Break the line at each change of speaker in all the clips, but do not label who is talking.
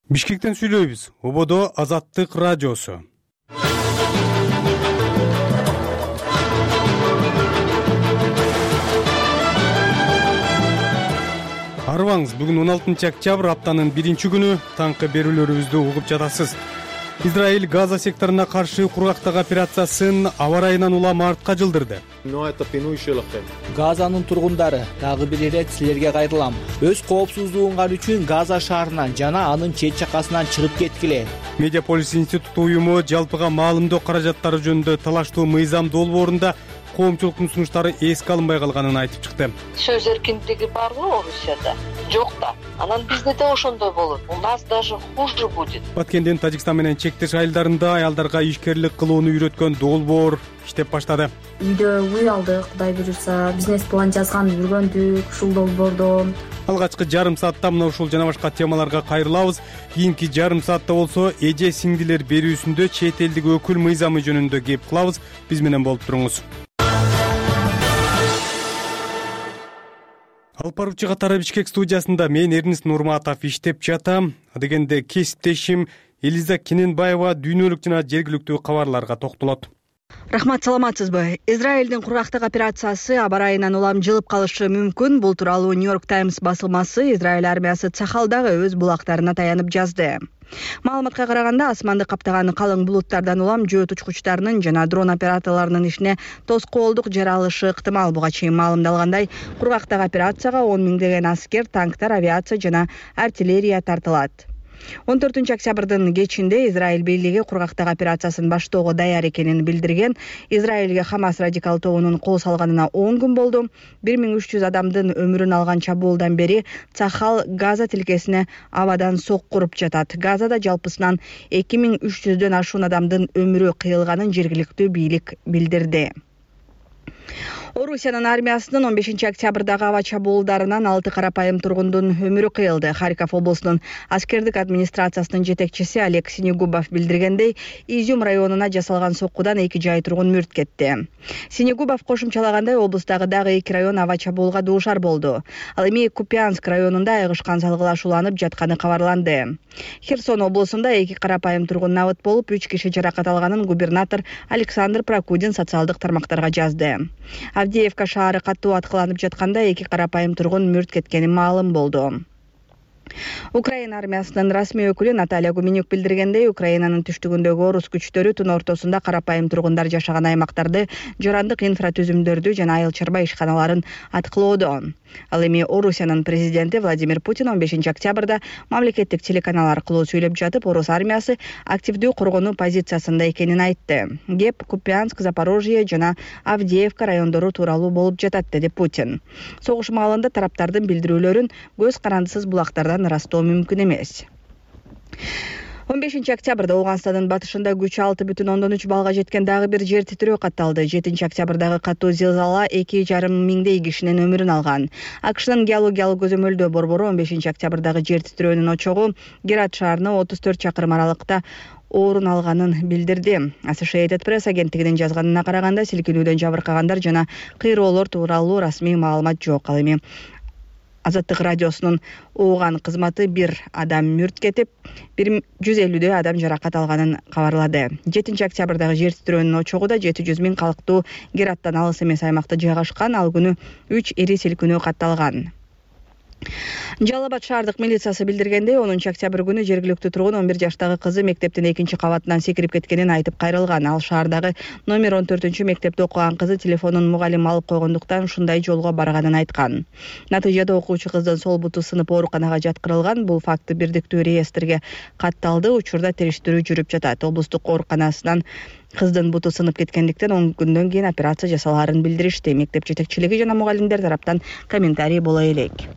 Бишкектен сүйлөйбүз. Ободо Азаттык радиосу. Арыбаңыз, бүгүн 16 октябрь, аптанын 1-күнү, таңкы берүүлөрүбүздү угуп жатасыз. Израиль Газа секторуна каршы кургактык операциясын аба ырайынан улам артка жылдырды.
Газанын тургундары, дагы бир ирет силерге кайрылам. Өз коопсуздугуңар үчүн Газа шаарынан жана анын чет жакасынан чыгып кеткиле.
Медиаполис институту уюму жалпыга маалымдоо каражаттары жөнүндө талаштуу мыйзам долбоорунда коомчулуктун сунуштары эске алынбай калганын айтып чыкты.
Сөз эркиндиги барбы Орусияда? Жок да. Анан бизде да ошондой болот. У нас даже хуже будет.
Баткендин Тажикстан менен чектеш айылдарында аялдарга ишкерлик кылууну үйрөткөн долбоор иштеп баштады.
Үйдө үй алдык, Кудай буюрса, бизнес план жазган жүргөндүк ушул долбоордо.
Алгачкы жарым саатта мына ушул жана башка темаларга кайрылабыз. Кийинки жарым саатта болсо эже сиңдилер берүүсүндө чет элдик өкүл мыйзамы жөнүндө кеп кылабыз. Биз менен болуп туруңуз. Алып баруучу катары Бишкек студиясында мен Эрнис Нурматов иштеп жатам. Дегенде кесиптешим Элиза Кененбаева дүйнөлүк жана жергиликтүү кабарларга токтолот.
Рахмат, саламатсызбы? Израилдин кургактык операциясы аба ырайынан улам жылып калышы мүмкүн. Бул тууралуу Нью-Йорк Таймс басылмасы Израиль армиясы Цахалдагы өз булактарына таянып жазды. Маалыматка караганда, асманды каптаган калың булуттардан улам жөөт учкучтарынын жана дрон операторлорунун ишине тоскоолдук жаралышы ыктымал. Буга чейин маалымдалгандай, кургактык операцияга 10 миңдеген аскер, танктар, авиация жана артиллерия тартылат. 14 октябрдын кечинде Израиль бийлиги кургактык операциясын баштоого даяр экенин билдирген. Израилге Хамас радикал тобунун кол салганына 10 күн болду. 1300 адамдын өмүрүн алган чабуулдан бери Цахал Газа тилкесине абадан соккуруп жатат. Газада жалпысынан 2300дөн ашуун адамдын өмүрү кыйылганын жергиликтүү бийлик билдирди. Орусиянын армиясынын 15 октябрдагы аба чабуулдарынан 6 карапайым тургундун өмүрү кыйылды. Харьков облусунун аскердик администрациясынын жетекчиси Олег Синегубов билдиргендей, Изюм районуна жасалган соккудан 2 жай тургун мүрт кетти. Синегубов кошумчалагандай, облустагы дагы 2 район аба чабуулга дуушар болду. Ал эми Купянск районунда айгышкан салгылашууланып жатканы кабарланды. Херсон облусунда 2 карапайым тургун набыт болуп, 3 киши жаракат алганын губернатор Александр Прокудин социалдык тармактарга жазды. Авдеевка шаары катуу аткыланып жатканда 2 карапайым тургун мүрт кеткени маалым болду. Украина армиясынын расмий өкүлү Наталья Гуменюк билдиргендей, Украинанын түштүгүндөгү орус күчтөрү түн ортосунда карапайым тургундар жашаган аймактарды, жарандык инфратүзүмдөрдү жана айыл чарба ишканаларын аткылоодо. Ал эми Орусиянын президенти Владимир Путин 15 октябрда мамлекеттик телеканал аркылуу сүйлөп жатып, орус армиясы активдүү коргонуу позициясында экенин айтты. Кеп Купянск, Запорожье жана Авдеевка райондору тууралуу болуп жатат, деди Путин. Согуш маалында тараптардын билдирүүлөрүн көз карандысыз булактардан ырастоо мүмкүн эмес. 15 октябрда Ооганстандын батышында күчү 6,3 балга жеткен дагы бир жер титирөө катталды. 7 октябрдагы катуу зилзала 2,5 миңдей кишинин өмүрүн алган. АКШнын геологиялык көзөмөлдөө борбору 15 октябрдагы жер титирөөнүн очогу Герат шаарына 34 чакырым аралыкта орун алганын билдирди. Associated Press агенттигинин жазганына караганда, силкинүүдөн жабыркагандар жана кыйроолор тууралуу расмий маалымат жок. Ал эми Азаттык радиосунун Ооган кызматы 1 адам мүрт кетип, 150дөй адам жаракат алганын кабарлады. 7 октябрдагы жер титирөөнүн очогу да 700 миң калктуу Гераттан алыс эмес аймакта жайгашкан. Ал күнү 3 ири силкинүү катталган. Жалал Абад шаардык милициясы билдиргендей, 10 октябрь күнү жергиликтүү тургун 11 жаштагы кызы мектептин 2 кабатынан секирип кеткенин айтып кайрылган. Ал шаардагы номер 14 мектепте окуган кызы телефонун мугалим алып койгондуктан ушундай жолго барганын айткан. Натыйжада окуучу кыздын сол буту сынып ооруканага жаткырылган. Бул факты бирдиктүү реестрге катталды. Учурда териштирүү жүрүп жатат. Облустук ооруканасынан кыздын буту сынып кеткендиктен 10 күндөн кийин операция жасалаарын билдиришти. Мектеп жетекчилиги жана мугалимдер тараптан комментарий боло элек.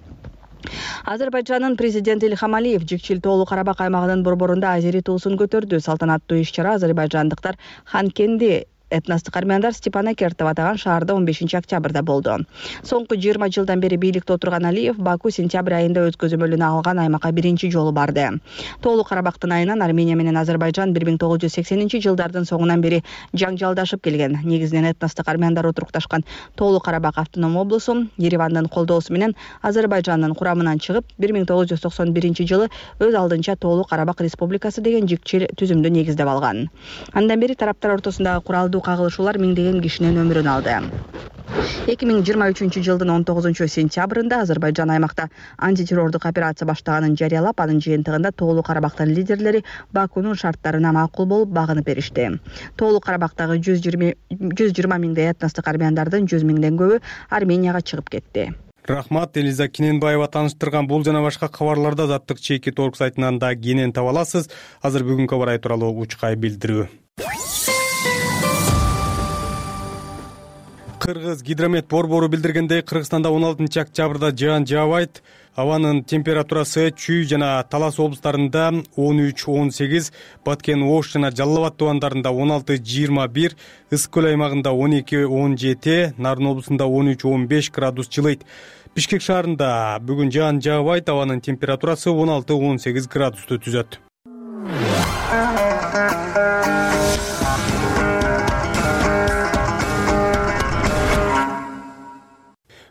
Азербайжандын президенти Ильхам Алиев Жикчил тоолуу Карабак аймагынын борборунда азери туусун көтөрдү. Салтанаттуу иш-чара азербайжандыктар Ханкенди Этностук армяндар Степана Кертов атаган шаарда 15-октябрда болду. Соңку 20 жылдан бери бийликте отурган Алиев Баку сентябрь айында өз көзөмөлүнө алган аймакка биринчи жолу барды. Тоолуу Карабактын айынан Армения менен Азербайжан 1980-жылдардын соңунан бери жаңжалдашып келген. Негизинен этностук армяндар отурукташкан Тоолуу Карабак автоном облусу Еревандын колдоосу менен Азербайжандын курамынан чыгып, 1991-жылы өз алдынча Тоолуу Карабак Республикасы деген жикчил түзүмдү негиздеп алган. Андан бери тараптар ортосундагы куралдуу кагылышуулар миңдеген кишинин өмүрүн алды. 2023-жылдын 19-сентябрында Азербайжан аймакта антитеррордук операция баштаганын жарыялап, анын жыйынтыгында Тоолуу Карабактын лидерлери Бакунун шарттарына макул болуп багынып беришти. Тоолуу Карабактагы 120 миңдей этностук армяндардын 100 миңден көбү Арменияга чыгып кетти.
Рахмат, Элиза Киненбаева таныштырган бул жана башка кабарларды Азаттык чейки толк сайтынан да кенен таба аласыз. Азыр бүгүнкү абар тууралуу учкай билдирүү. Кыргыз гидромет борбору билдиргендей, Кыргызстанда 16-октябрда жаан жаабайт. Абанын температурасы Чүй жана Талас облустарында 13-18, Баткен Ош жана Жалал Абад тубандарында 16-21, Ысык көл аймагында 12-17, Нарын облусунда 13-15 градус жылыйт. Бишкек шаарында бүгүн жаан жаабайт, абанын температурасы 16-18 градусту түзөт.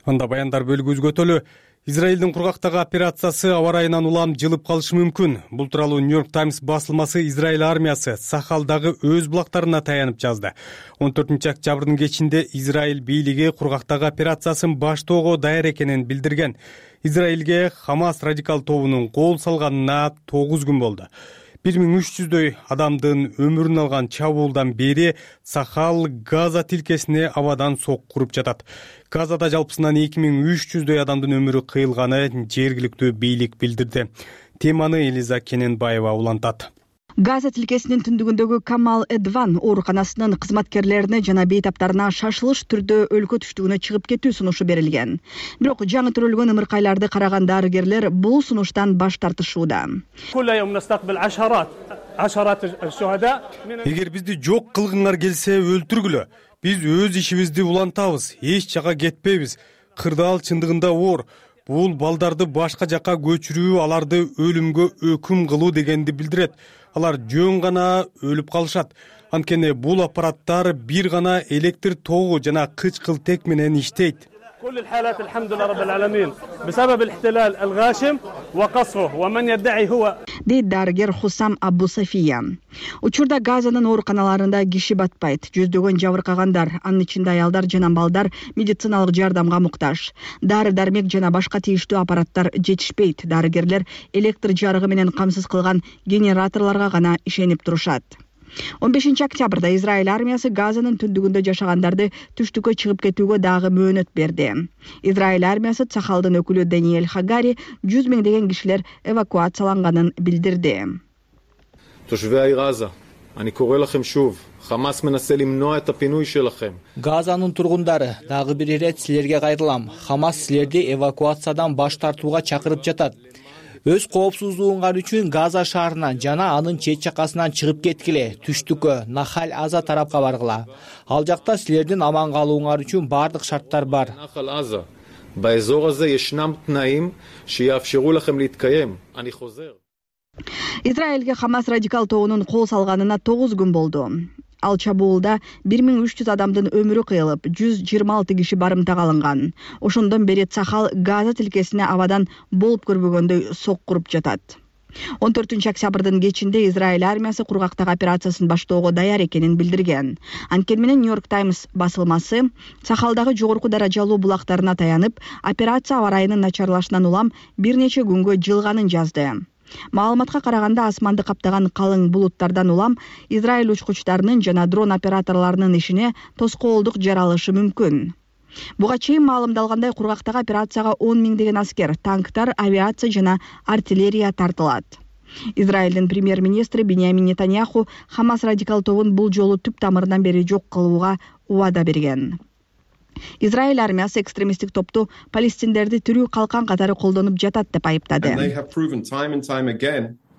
Анда баяндар бөлүгүбүзгө өтөлү. Израилдин кургактагы операциясы аба ырайынан улам жылып калышы мүмкүн. Бул тууралуу New York Times басылмасы Израиль армиясы Сахалдагы өз булактарына таянып жазды. 14-октябрдын кечинде Израиль бийлиги кургактагы операциясын баштоого даяр экенин билдирген. Израилге Хамас радикал тобунун кол салганына 9 күн болду. 1300дөй адамдын өмүрүн алган чабуулдан бери Сахал Газа тилкесине абадан соккуруп жатат. Газада жалпысынан 2300дөй адамдын өмүрү кыйылганы жергиликтүү бийлик билдирди. Теманы Элиза Киненбаева улантат.
Газа тилкесинин түндүгүндөгү Камал Эдван ооруканасынын кызматкерлерине жана бейтаптарына шашылыш түрдө өлкө түштүгүнө чыгып кетүү сунушу берилген. Бирок жаңы төрөлгөн ымыркайларды караган дарыгерлер бул сунуштан баш тартышууда.
Эгер бизди жок кылгыңар келсе өлтүргүлө. Биз өз ишибизди улантабыз, эч жака кетпейбиз. Кырдаал чындыгында оор. Бул балдарды башка жака көчүрүү, аларды өлүмгө өкүм кылуу дегенди билдирет. Алар жөн гана өлүп калышат. Анткени бул аппараттар бир гана электр тогу жана кычкылтек менен иштейт.
كل الحالات الحمد لله رب العالمين بسبب الاحتلال الغاشم وقصفه ومن يدعي هو
дейт дарыгер Хусам Абу Сафия. Учурда Газанын ооруканаларында киши батпайт. Жүздөгөн жабыркагандар, анын ичинде аялдар жана балдар медициналык жардамга муктаж. Дары-дармек жана башка тийиштүү аппараттар жетишпейт. Дарыгерлер электр жарыгы менен камсыз кылган генераторлорго гана ишенип турушат. 15-октябрда Израиль армиясы Газанын түндүгүндө жашагандарды түштүккө чыгып кетүүгө дагы мөөнөт берди. Израиль армиясы Цахалдын өкүлү Даниэль Хагари 100 миңдеген кишилер эвакуацияланганын билдирди.
Газанын тургундары, дагы бир ирет силерге кайрылам. Хамас силерди эвакуациядан баш тартууга чакырып жатат. Өз коопсуздугуңар үчүн Газа шаарынан жана анын чет жакасынан чыгып кеткиле, түштүккө, Нахаль Аза тарапка баргыла. Ал жакта силердин аман калууңар үчүн бардык шарттар бар.
Израилге Хамас радикал тобунун кол салганына 9 күн болду. Ал чабуулда 1300 адамдын өмүрү кыйылып, 126 киши барымтага алынган. Ошондон бери Сахал Газа тилкесине абадан болуп көрбөгөндөй соккуруп жатат. 14-октябрдын кечинде Израиль армиясы кургактагы операциясын баштоого даяр экенин билдирген. Анткени менен New York Times басылмасы Сахалдагы жогорку даражалуу булактарына таянып, операция аба ырайынын начарлашынан улам бир нече күнгө жылганын жазды. Маалыматка караганда асманды каптаган калың булуттардан улам Израиль учкучтарынын жана дрон операторлорунун ишине тоскоолдук жаралышы мүмкүн. Буга чейин маалымдалгандай кургактагы операцияга 10 миңдеген аскер, танктар, авиация жана артиллерия тартылат. Израилдин премьер-министри Биньямин Нетаньяху Хамас радикал тобун бул жолу түп тамырынан бери жок кылууга убада берген. Израиль армиясы экстремисттик топту палестиндерди тирүү калкан катары колдонуп жатат деп айыптады.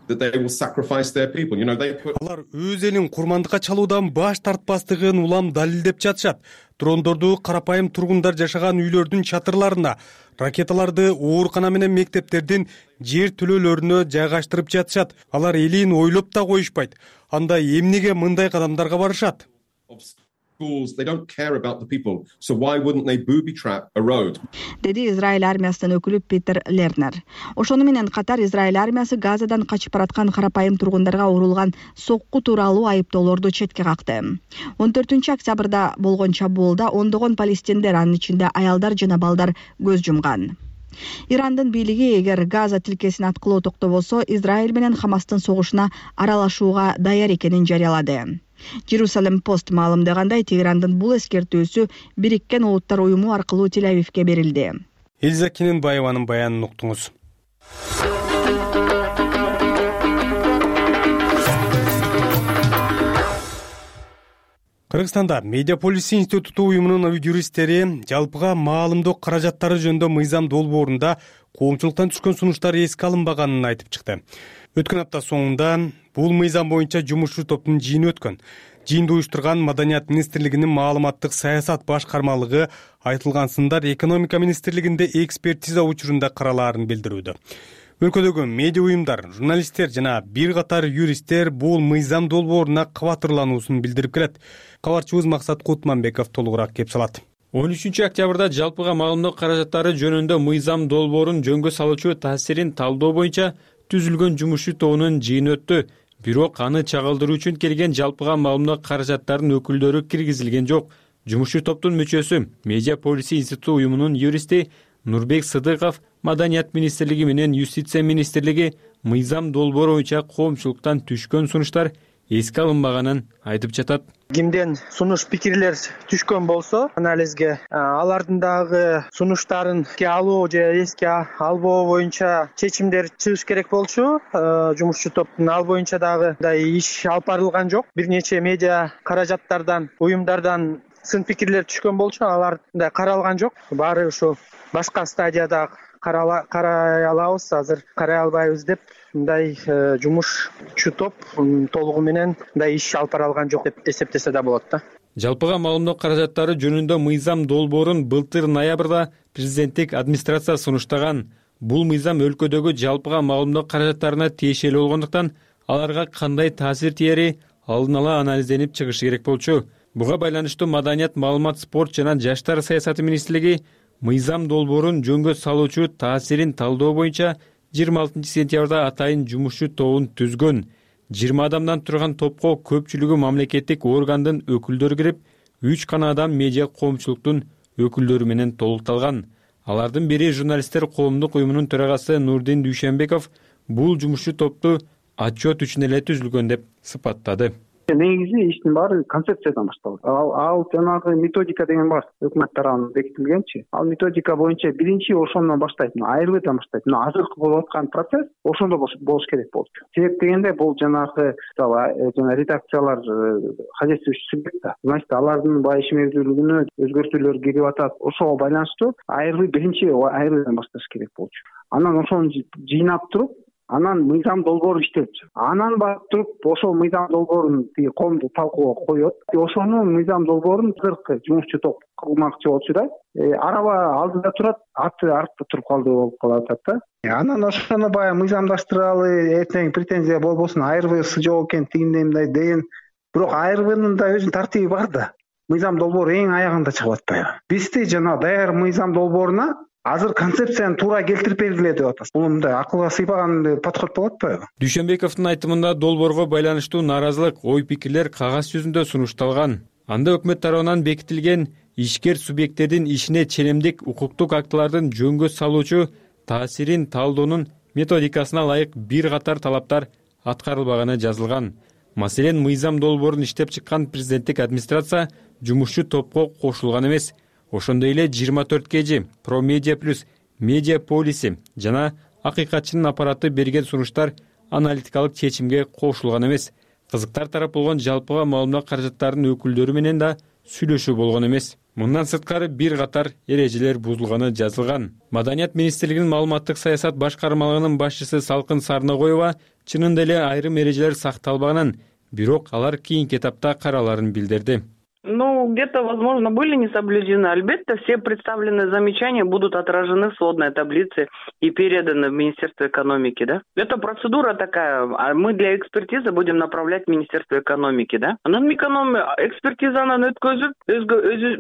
that they will sacrifice their people. You know, they put...
Алар өз элин курмандыкка чалуудан баш тартпастыгын улам далилдеп жатышат. Дрондорду карапайым тургундар жашаган үйлөрдүн чатырларына, ракеталарды оорукана менен мектептердин жер төлөлөрүнө жайгаштырып жатышат. Алар элин ойлоп да коюшпайт. Анда эмнеге мындай кадамдарга барышат?
They don't care about the people. So why wouldn't they booby trap a road?
Деди Израиль армиясынын өкүлү Питер Лернер. Ошону менен катар Израиль армиясы Газадан качып бараткан карапайым тургундарга урулган сокку тууралуу айыптоолорду четке какты. 14-октябрда болгон чабуулда ондогон палестиндер, анын ичинде аялдар жана балдар көз жумган. Ирандын бийлиги эгер Газа тилкесин аткылоо токтобосо, Израиль менен Хамастын согушуна аралашууга даяр экенин жарыялады. Jerusalem Post маалымдагандай, Тегерандын бул эскертүүсү Бириккен Улуттар уюму аркылуу Тель-Авивге берилди.
Элза Кененбаеванын баянын уктуңуз. Кыргызстанда Медиаполис институту уюмунун юристтери жалпыга маалымдоо каражаттары жөнүндө мыйзам долбоорунда коомчулуктан түшкөн сунуштар эске алынбаганын айтып чыкты. Өткөн апта соңунда бул мыйзам боюнча жумушчу топтун жыйыны өткөн. Жыйынды уюштурган Маданият министрлигинин маалыматтык саясат башкармалыгы айтылган сындар экономика министрлигинде экспертиза учурунда каралаарын билдирүүдө. Өлкөдөгү медиа уюмдар, журналисттер жана бир катар юристтер бул мыйзам долбооруна кабатырлануусун билдирип келет. Кабарчыбыз Максат Кутманбеков толугураак кеп салат.
13-октябрда жалпыга маалымдоо каражаттары жөнүндө мыйзам долбоорун жөнгө салуучу таасирин талдоо боюнча түзүлгөн жумушчу тобунун жыйыны өттү. Бирок аны чагылдыруу үчүн келген жалпыга маалымдоо каражаттарынын өкүлдөрү киргизилген жок. Жумушчу топтун мүчөсү, Медиаполис институту уюмунун юристи Нурбек Сыдыков Маданият министрлиги менен Юстиция министрлиги мыйзам долбоору боюнча коомчулуктан түшкөн сунуштар эске алынбаганын айтып жатат.
Кимден сунуш пикирлер түшкөн болсо, анализге алардын дагы сунуштарын эске алуу же эске албоо боюнча чечимдер чыгыш керек болчу. Жумушчу топтун ал боюнча дагы иш алып барылган жок. Бир нече медиа каражаттардан, уюмдардан сын пикирлер түшкөн болчу, алар да каралган жок. Баары ушу башка стадияда карай алабыз, азыр карай албайбыз деп мындай жумушчу топ толугу менен мындай иш алып бара алган жок деп эсептесе да болот да.
Жалпыга маалымдоо каражаттары жөнүндө мыйзам долбоорун былтыр ноябрда президенттик администрация сунуштаган. Бул мыйзам өлкөдөгү жалпыга маалымдоо каражаттарына тиешелүү болгондуктан аларга кандай таасир тиери алдын ала анализденип чыгышы керек болчу. Буга байланыштуу Маданият, маалымат, спорт жана жаштар саясаты министрлиги мыйзам долбоорун жөнгө салуучу таасирин талдоо боюнча 26 сентябрда атайын жумушчу тобун түзгөн. 20 адамдан турган топко көпчүлүгү мамлекеттик органдын өкүлдөрү кирип, 3 гана адам медиа коомчулуктун өкүлдөрү менен толукталган. Алардын бири журналисттер коомдук уюмунун төрагасы Нурдин Дүйшенбеков бул жумушчу топту отчет үчүн эле түзүлгөн деп сыпаттады.
Негизи иштин баары концепциядан башталат. Ал жанагы методика деген бар, өкмөт тарабынан бекитилгенчи. Ал методика боюнча биринчи ошондон баштайт, айрылуудан баштайт. Азыркы болуп аткан процесс ошондо болуш керек болчу. Себеп дегенде бул жанагы жана редакциялар хозяйствующий субъект да. Значит, алардын иш мезгилдүүлүгүнө өзгөртүүлөр кирип атат. Ошого байланыштуу биринчи айрылуудан башташ керек болчу. Анан ошону жыйнап туруп, анан мыйзам долбоор иштелчү. Анан барып туруп, ошол мыйзам долбоорун коомдук талкууга коет. Ошону мыйзам долбоорун азыркы жумушчу топ кылмакчы болчу да. Араба алдыда турат, аты артта туруп калды болуп калат да. Анан ошону баягы мыйзамдаштыралы, эртең претензия болбосун, айрыбысы жок экен, тигиндей мындай деген. Бирок айрыбынын да өзүнүн тартиби бар да. Мыйзам долбоору эң аягында чыгып атпайбы? Бизде жана даяр мыйзам долбооруна азыр концепцияны туура келтирип бергиле деп атасыз. Бул мындай акылга сыйпаган подход болуп атпайбы?
Дүйшенбековдун айтымында долбоорго байланыштуу нааразылык, ой-пикирлер кагаз жүзүндө сунушталган. Анда өкмөт тарабынан бекитилген ишкер субъекттердин ишине ченемдик укуктук актылардын жөнгө салуучу таасирин талдоонун методикасына ылайык бир катар талаптар аткарылбаганы жазылган. Маселен, мыйзам долбоорун иштеп чыккан президенттик администрация жумушчу топко кошулган эмес. Ошондой эле 24 кежи, Промедиа плюс, Медиаполиси жана акыйкатчынын аппараты берген сунуштар аналитикалык чечимге кошулган эмес. Кызыктар тарап болгон жалпыга маалымдоо каражаттарынын өкүлдөрү менен да сүйлөшүү болгон эмес. Мындан сырткары бир катар эрежелер бузулганы жазылган. Маданият министрлигинин маалыматтык саясат башкармалыгынын башчысы Салкын Сарнагоева чынында эле айрым эрежелер сакталбаганын, бирок алар кийинки этапта караларын билдирди.
Где-то, возможно, были не соблюдены. Албетте, все представленные замечания будут отражены в сводной таблице и переданы в Министерство экономики, да? Это процедура такая, а мы для экспертизы будем направлять в Министерство экономики, да? Экспертизаны өткөзүп,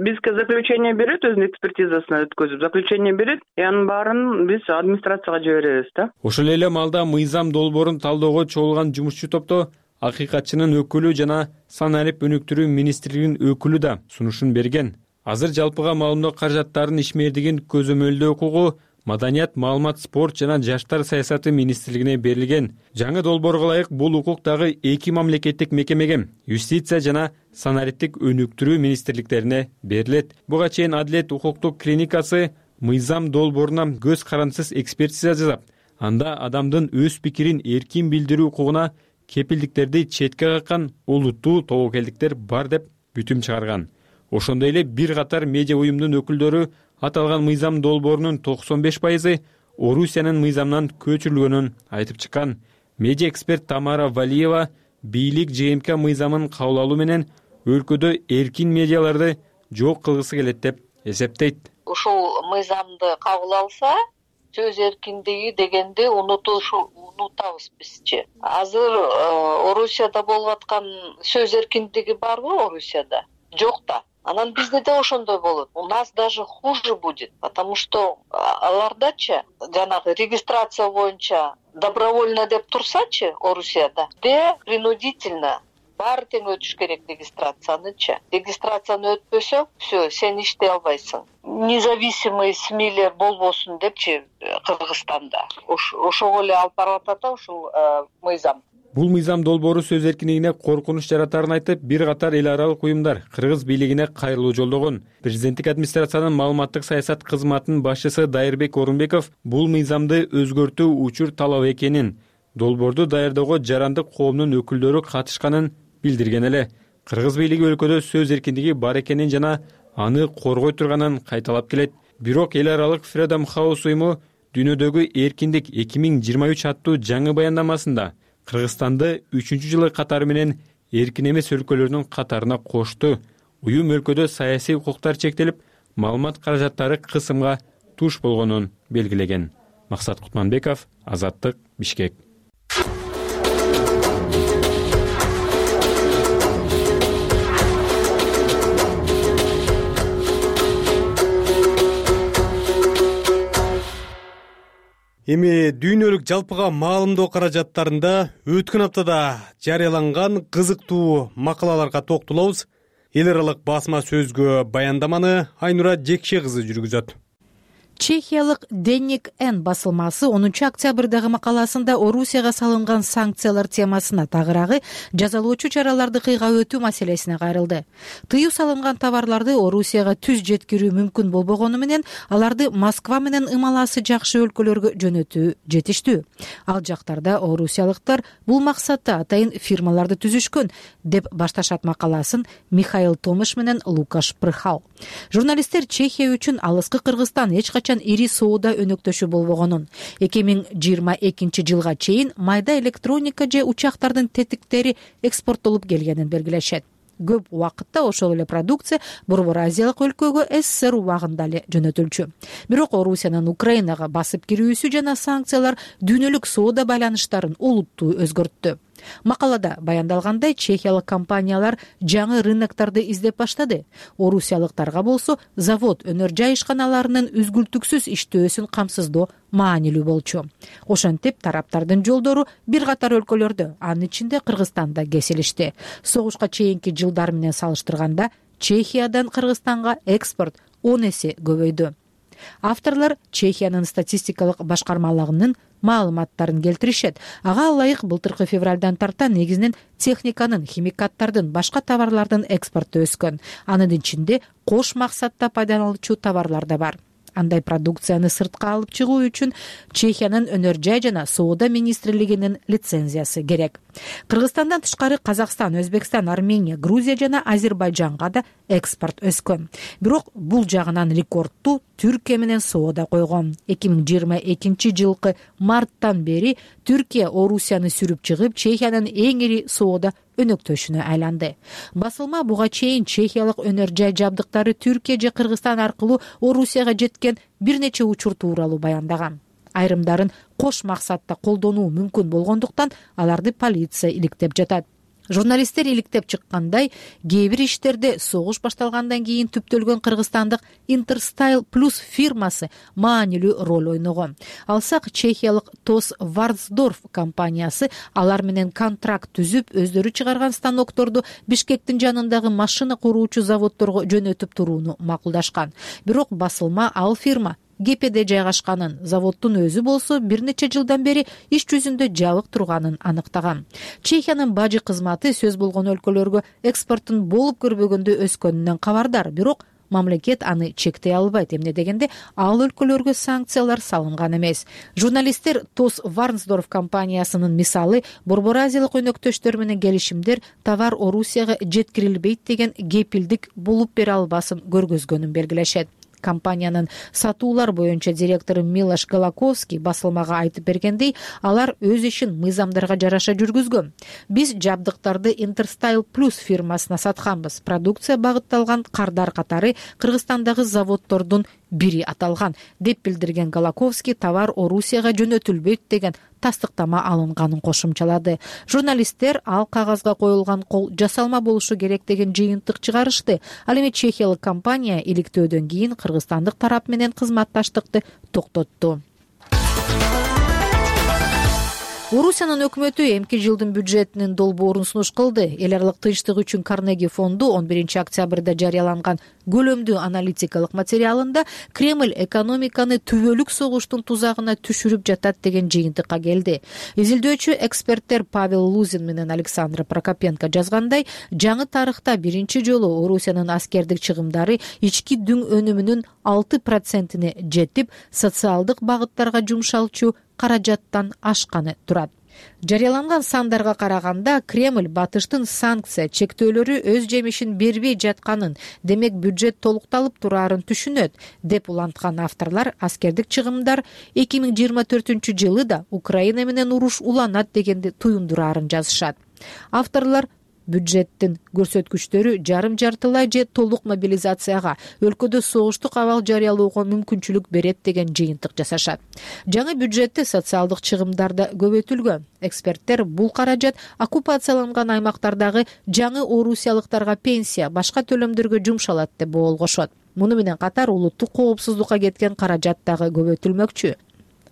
бизге заключение берет, өзүнүн экспертизасын өткөзүп, заключение берет, и анын баарын биз администрацияга жиберебиз, да?
Ошол эле маалда мыйзам долбоорун талоого чогулган жумушчу топто акыйкатчынын өкүлү жана саналип өнүктүрүү министрлигинин өкүлү да сунушун берген. Азыр жалпыга маалымдоо каражаттарынын ишмердигин көзөмөлдөө укугу Маданият, маалымат, спорт жана жаштар саясаты министрлигине берилген. Жаңы долбоорго ылайык бул укук дагы эки мамлекеттик мекемеге, юстиция жана саналиптик өнүктүрүү министрликтерине берилет. Буга чейин Адилет укуктук клиникасы мыйзам долбооруна көз карандысыз экспертиза жасап, анда адамдын өз пикирин эркин билдирүү укугуна кепилдиктерди четке каккан олуттуу тобокелдиктер бар деп бүтүм чыгарган. Ошондой эле бир катар медиа уюмдун өкүлдөрү аталган мыйзам долбоорунун 95% Орусиянын мыйзамынан көчүрүлгөнүн айтып чыккан. Медиа эксперт Тамара Валиева бийлик ЖМК мыйзамын кабыл алуу менен өлкөдө эркин медиаларды жок кылгысы келет деп эсептейт.
Ушул мыйзамды кабыл алса, сөз эркиндиги дегенди унутабыз бизчи. Азыр Орусияда болуп аткан сөз эркиндиги барбы Орусияда? Жок да. Анан бизде да ошондой болот. У нас даже хуже будет, потому что алардачы жанагы регистрация боюнча добровольно деп турсачы Орусияда, принудительно баары тең өтүш керек регистрациянычы. Регистрацияны өтпөсөң, все, сен иштей албайсың. Независимый СМИлер болбосун депчи Кыргызстанда. Ошого эле алып баратат ушул мыйзам.
Бул мыйзам долбоору сөз эркиндигине коркунуч жаратарын айтып, бир катар эл аралык уюмдар кыргыз бийлигине кайрылуу жолдогон. Президенттик администрациянын маалыматтык саясат кызматынын башчысы Дайырбек Орунбеков бул мыйзамды өзгөртүү учур талап экенин, долбоорду даярдоого жарандык коомдун өкүлдөрү катышканын билдирген эле. Кыргыз бийлиги өлкөдө сөз эркиндиги бар экенин жана аны коргой турганын кайталап келет. Бирок эл аралык Freedom House уюму дүйнөдөгү эркиндик 2023 аттуу жаңы баяндамасында Кыргызстанды 3-жылы катары менен эркин эмес өлкөлөрдүн катарына кошту. Уюм өлкөдө саясий укуктар чектелип, маалымат каражаттары кысымга туш болгонун белгилеген. Максат Кутманбеков, Азаттык, Бишкек.
Эми дүйнөлүк жалпыга маалымдоо каражаттарында өткөн аптада жарыяланган кызыктуу макалаларга токтолобуз. Эл аралык басма сөзгө баяндаманы Айнура Жекше кызы жүргүзөт.
Чехиялык Денник Н басылмасы 10 октябрдагы макаласында Орусияга салынган санкциялар темасына тагыраагы жазалоочу чараларды кыйга өтүү маселесине кайрылды. Тыюу салынган товарларды Орусияга түз жеткирүү мүмкүн болбогону менен аларды Москва менен ымаласы жакшы өлкөлөргө жөнөтүү жетиштүү. Ал жактарда орусиялыктар бул максатта атайын фирмаларды түзүшкөн деп башташат макаласын Михаил Томаш менен Лукаш Прыхал. Журналисттер Чехия үчүн алыскы Кыргызстан эч качан ири соода өнөктөшү болбогонун, 2022 жылга чейин майда электроника же учактардын тетиктери экспорттолуп келгенин белгилешет. Көп убакытта ошол эле продукция Борбор Азиялык өлкөгө СССР убагында эле жөнөтүлчү. Бирок Орусиянын Украинага басып кирүүсү жана санкциялар дүйнөлүк соода байланыштарын олуттуу өзгөрттү. Макалада баяндалгандай, чехиялык компаниялар жаңы рыноктарды издеп баштады. Орусиялыктарга болсо завод, өнөр жай ишканаларынын үзгүлтүксүз иштөөсүн камсыздоо маанилүү болчу. Ошентип, тараптардын жолдору бир катар өлкөлөрдө, анын ичинде Кыргызстанда кесилишти. Согушка чейинки жылдар менен салыштырганда Чехиядан Кыргызстанга экспорт 10 эсе көбөйдү. Авторлор Чехиянын статистикалык башкармалыгынын маалыматтарын келтиришет. Ага ылайык былтыркы февралдан тарта негизинен техниканын, химикаттардын, башка товарлардын экспорту өскөн. Анын ичинде кош максатта пайдаланылчу товарлар да бар. андай продукцияны сыртка алып чыгуу үчүн Чехиянын өнөр жай жана соода министрлигинин лицензиясы керек. Кыргызстандан тышкары Казакстан, Өзбекстан, Армения, Грузия жана Азербайжанга да экспорт өскөн. Бирок бул жагынан рекордту Түркия менен соода койгон. 2022 жылкы марттан бери Түркия Орусияны сүрүп чыгып, Чехиянын эң ири соода өнөктөшүнө айланды. Басылма буга чейин чехиялык өнөр жай жабдыктары Түркия же Кыргызстан аркылуу Орусияга жеткен бир нече учур тууралуу баяндаган. Айрымдарын кош максатта колдонуу мүмкүн болгондуктан аларды полиция иликтеп жатат. Журналисттер иликтеп чыккандай, кээ бир иштерде согуш башталгандан кийин түптөлгөн кыргызстандык Интерстайл Плюс фирмасы маанилүү роль ойногон. Алсак, чехиялык Тос Варцдорф компаниясы алар менен контракт түзүп, өздөрү чыгарган станокторду Бишкектин жанындагы машина куруучу заводдорго жөнөтүп турууну макулдашкан. Бирок басылма ал фирма ГПде жайгашканын, заводдун өзү болсо бир нече жылдан бери иш жүзүндө жабык турганын аныктаган. Чехиянын бажы кызматы сөз болгон өлкөлөргө экспорттун болуп көрбөгөндө өскөнүнөн кабардар, бирок мамлекет аны чектей албайт. Эмне дегенде, ал өлкөлөргө санкциялар салынган эмес. Журналисттер Тос Варцдорф компаниясынын мисалы Борбор Азиялык өнөктөштөр менен келишимдер товар Орусияга жеткирилбейт деген кепилдик болуп бере албасын көргөзгөнүн белгилешет. Компаниянын сатуулар боюнча директору Милош Галаковский басылмага айтып бергендей, алар өз ишин мыйзамдарга жараша жүргүзгөн. Биз жабдыктарды Интерстайл Плюс фирмасына сатканбыз. Продукция багытталган кардар катары Кыргызстандагы заводдордун бири аталган, деп билдирген Галаковский товар Орусияга жөнөтүлбөйт деген тастыктама алынганын кошумчалады. Журналисттер ал кагазга коюлган кол жасалма болушу керек деген жыйынтык чыгарышты. Ал эми чехиялык компания иликтөөдөн кийин кыргызстандык тарап менен кызматташтыкты токтотту. Орусиянын өкмөтү эмки жылдын бюджетинин долбоорун сунуш кылды. Эл аралык тынчтык үчүн Карнеги фонду 11 октябрда жарыяланган көлөмдүү аналитикалык материалында Кремль экономиканы түбөлүк согуштун тузагына түшүрүп жатат деген жыйынтыкка келди. Изилдөөчү эксперттер Павел Лузин менен Александр Прокопенко жазгандай, жаңы тарыхта биринчи жолу Орусиянын аскердик чыгымдары ички дүң өнүмүнүн 6%-ине жетип, социалдык багыттарга жумшалчу каражаттан ашканы турат. Жарыяланган сандарга караганда, Кремль батыштын санкция чектөөлөрү өз жемишин бербей жатканын, демек бюджет толукталып турарын түшүнөт, деп уланткан авторлар аскердик чыгымдар 2024 жылы да Украина менен уруш уланат дегенди туюндурарын жазышат. Авторлар бюджеттин көрсөткүчтөрү жарым-жартылай же толук мобилизацияга, өлкөдө согуштук абал жарыялоого мүмкүнчүлүк берет деген жыйынтык жасашат. Жаңы бюджетте социалдык чыгымдар да көбөйтүлгөн. Эксперттер бул каражат оккупацияланган аймактардагы жаңы орусиялыктарга пенсия, башка төлөмдөргө жумшалат деп болгошот. Муну менен катар улуттук коопсуздукка кеткен каражат дагы көбөйтүлмөкчү.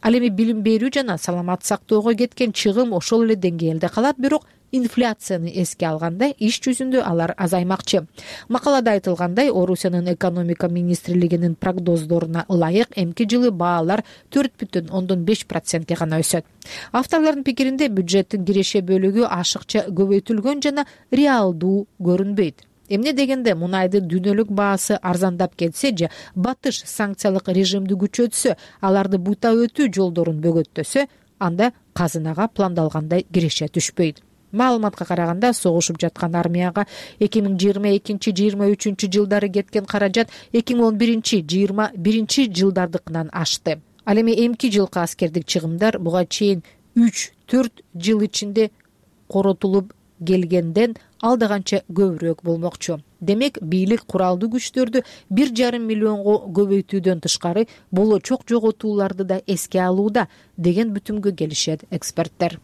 Ал эми билим берүү жана саламат сактоого кеткен чыгым ошол эле деңгээлде калат, бирок инфляцияны эске алганда иш жүзүндө алар азаймакчы. Макалада айтылгандай, Орусиянын экономика министрлигинин прогноздоруна ылайык эмки жылы баалар 4,5%ге гана өсөт. Авторлордун пикиринде бюджеттин киреше бөлүгү ашыкча көбөйтүлгөн жана реалдуу көрүнбөйт. Эмне дегенде, мунайдын дүйнөлүк баасы арзандап кетсе же батыш санкциялык режимди күчөтсө, аларды бута өтүү жолдорун бөгөттөсө, анда казынага пландалгандай киреше түшпөйт. Маалыматка караганда, согушуп жаткан армияга 2022-23 жылдары кеткен каражат 2011-21 жылдардыкынан ашты. Ал эми эмки жылкы аскердик чыгымдар буга чейин 3-4 жыл ичинде коротулуп келгенден алда канча көбүрөөк болмокчу. Демек, бийлик куралдуу күчтөрдү 1,5 миллионго көбөйтүүдөн тышкары болочок жоготууларды да эске алууда деген бүтүмгө келишет эксперттер.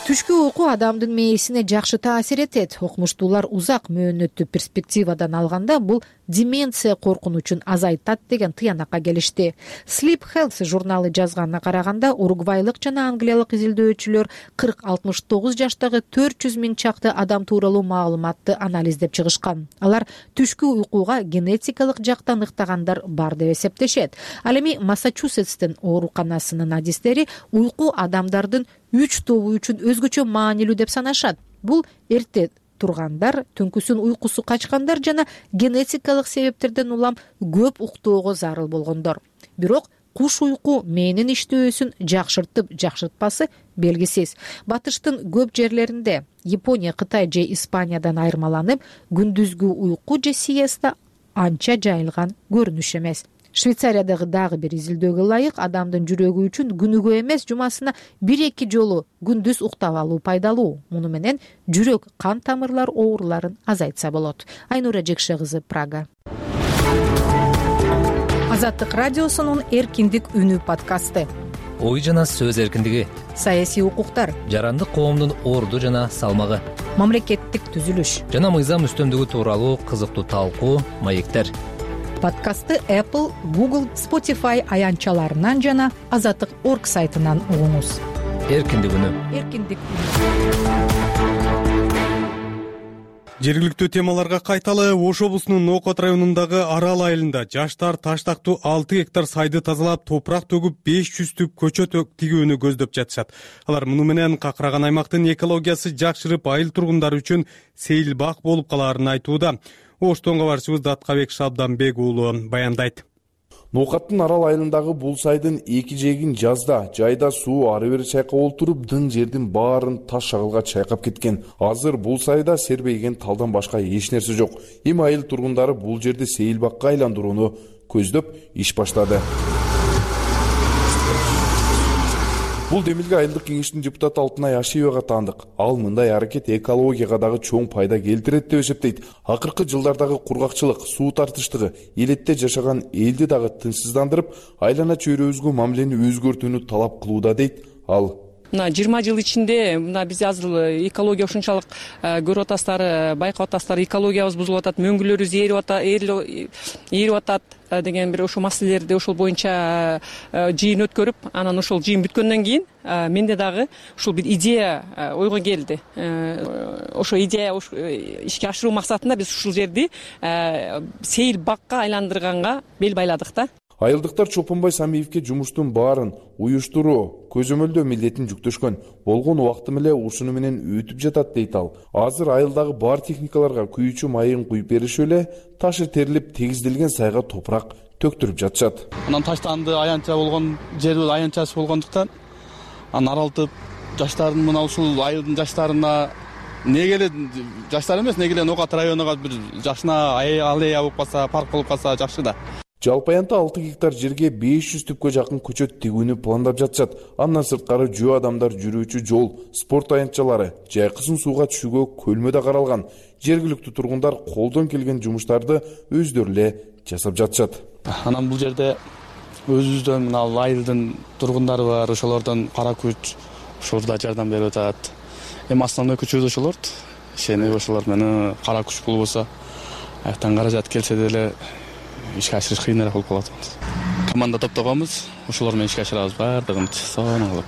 Түшкү уйку адамдын мээсине жакшы таасир этет. Окумуштуулар узак мөөнөттүү перспективадан алганда бул деменция коркунучун азайтат деген тыянакка келишти. Sleep Health журналы жазганына караганда, уругвайлык жана англиялык изилдөөчүлөр 40-69 жаштагы 400 миң чакты адам тууралуу маалыматты анализдеп чыгышкан. Алар түшкү уйкуга генетикалык жактан ыктагандар бар деп эсептешет. Ал эми Массачусетстин ооруканасынын адистери уйку адамдардын 3 тобу үчүн өзгөчө маанилүү деп санашат. Бул эрте тургандар, түнкүсүн уйкусу качкандар жана генетикалык себептерден улам көп уктоого зарыл болгондор. Бирок куш уйку мээнин иштөөсүн жакшыртып жакшыртпасы белгисиз. Батыштын көп жерлеринде, Япония, Кытай же Испаниядан айырмаланып, күндүзгү уйку же сиеста анча жайылган көрүнүш эмес. Швейцариядагы дагы бир изилдөөгө ылайык, адамдын жүрөгү үчүн күнүгө эмес, жумасына 1-2 жолу күндүз уктап алуу пайдалуу. Муну менен жүрөк кан тамырлар ооруларын азайтса болот. Айнура Жекше кызы, Прага. Азаттык радиосунун Эркиндик үнү подкасты.
Ой жана сөз эркиндиги,
саясий укуктар,
жарандык коомдун орду жана салмагы,
мамлекеттик түзүлүш
жана мыйзам үстөмдүгү тууралуу кызыктуу талкуу, маектер.
Подкастты Apple, Google, Spotify аянтчаларынан жана Азаттык.org сайтынан угуңуз.
Эркиндик үнү.
Эркиндик үнү.
Жергиликтүү темаларга кайталы. Ош облусунун Нокот районундагы Арал айылында жаштар таштактуу 6 гектар сайды тазалап, топурак төгүп 500 түп көчөт тигүүнү көздөп жатышат. Алар муну менен какыраган аймактын экологиясы жакшырып, айыл тургундары үчүн сейилбак болуп калаарын айтууда. Оштон кабарчыбыз Даткабек Шабданбек уулу баяндайт.
Нокаттын Арал айылындагы бул сайдын эки жээгин жазда, жайда суу ары бери чайкап олтуруп, дың жердин баарын таш шагылга чайкап кеткен. Азыр бул сайда сербейген талдан башка эч нерсе жок. Эми айыл тургундары бул жерди сейилбакка айландырууну көздөп иш баштады. Бул демилге айылдык кеңештин депутаты Алтынай Ашиевага таандык. Ал мындай аракет экологияга дагы чоң пайда келтирет деп эсептейт. Акыркы жылдардагы кургакчылык, суу тартыштыгы элетте жашаган элди дагы тынчсыздандырып, айлана чөйрөбүзгө мамилени өзгөртүүнү талап кылууда дейт ал.
Мына 20 жыл ичинде биз азыр экология ушунчалык көрүп атасыздар, байкап атасыздар, экологиябыз бузулуп атат, мөңгүлөрүбүз ээрип атат деген бир ошол маселелерди ошол боюнча жыйын өткөрүп, анан ошол жыйын бүткөндөн кийин менде дагы ушул бир идея ойго келди. Ошо идея ишке ашыруу максатында биз ушул жерди сейилбакка айландырганга бел байладык да.
Айылдыктар Чолпонбай Самиевке жумуштун баарын уюштуруу, көзөмөлдөө милдетин жүктөшкөн. Болгон убактым эле ушуну менен өтүп жатат дейт ал. Азыр айылдагы бар техникаларга күйүүчү майын куюп беришип эле, ташы терилип тегизделген сайга топурак төктүрүп жатышат.
Анан таштанды аянтча болгон жерибиз аянтчасы болгондуктан анан аралтып жаштардын мына ушул айылдын жаштарына неге эле жаштар эмес, неге эле Нокат районуга бир жашына аллея болуп калса, парк болуп калса жакшы да.
Жалпы аянтта 6 гектар жерге 500 түпкө жакын көчөт тигүүнү пландап жатышат. Андан сырткары жөө адамдар жүрүүчү жол, спорт аянтчалары, жайкысын сууга түшүүгө көлмө да каралган. Жергиликтүү тургундар колдон келген жумуштарды өздөрү эле жасап жатышат.
Анан бул жерде өзүбүздөн мына айылдын тургундары бар, ошолордон кара күч ушурда жардам берип атат. Эми основной күчүбүз ошолор. Ишенип ошолор менен кара күч болбосо, аяктан каражат келсе деле ишке ашырыш кыйыныраак болуп калат. Команда топтогонбуз, ошолор менен ишке ашырабыз баардыгын сонун кылып,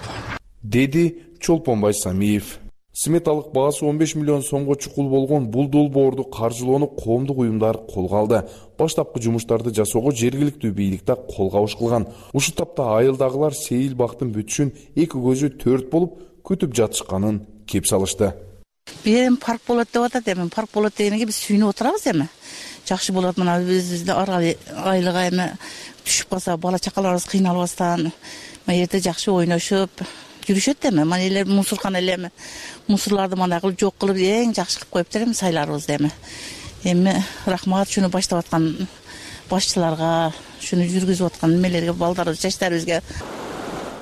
деди Чолпонбай Самиев. Сметалык баасы 15 миллион сомго чукул болгон бул долбоорду каржылоону коомдук уюмдар колго алды. Баштапкы жумуштарды жасоого жергиликтүү бийлик да кол кабыш кылган. Ушул тапта айылдагылар сейилбактын бүтүшүн эки көзү төрт болуп күтүп жатышканын кеп салышты.
Эми парк болот деп атат, эми парк болот дегенге биз сүйүнүп отурабыз эми. Жакшы болот, мына биздин Арал айылга эми түшүп калса, бала чакаларыбыз кыйналбастан, эрте жакшы ойношуп жүрүшөт эми. Мына эле мусорканы эле эми мусорларды мындай кылып жок кылып эң жакшы кылып коюптур эми сайларыбызды эми. Эми рахмат ушуну баштап аткан башчыларга, ушуну жүргүзүп аткан немелерге, балдарыбыз, жаштарыбызга.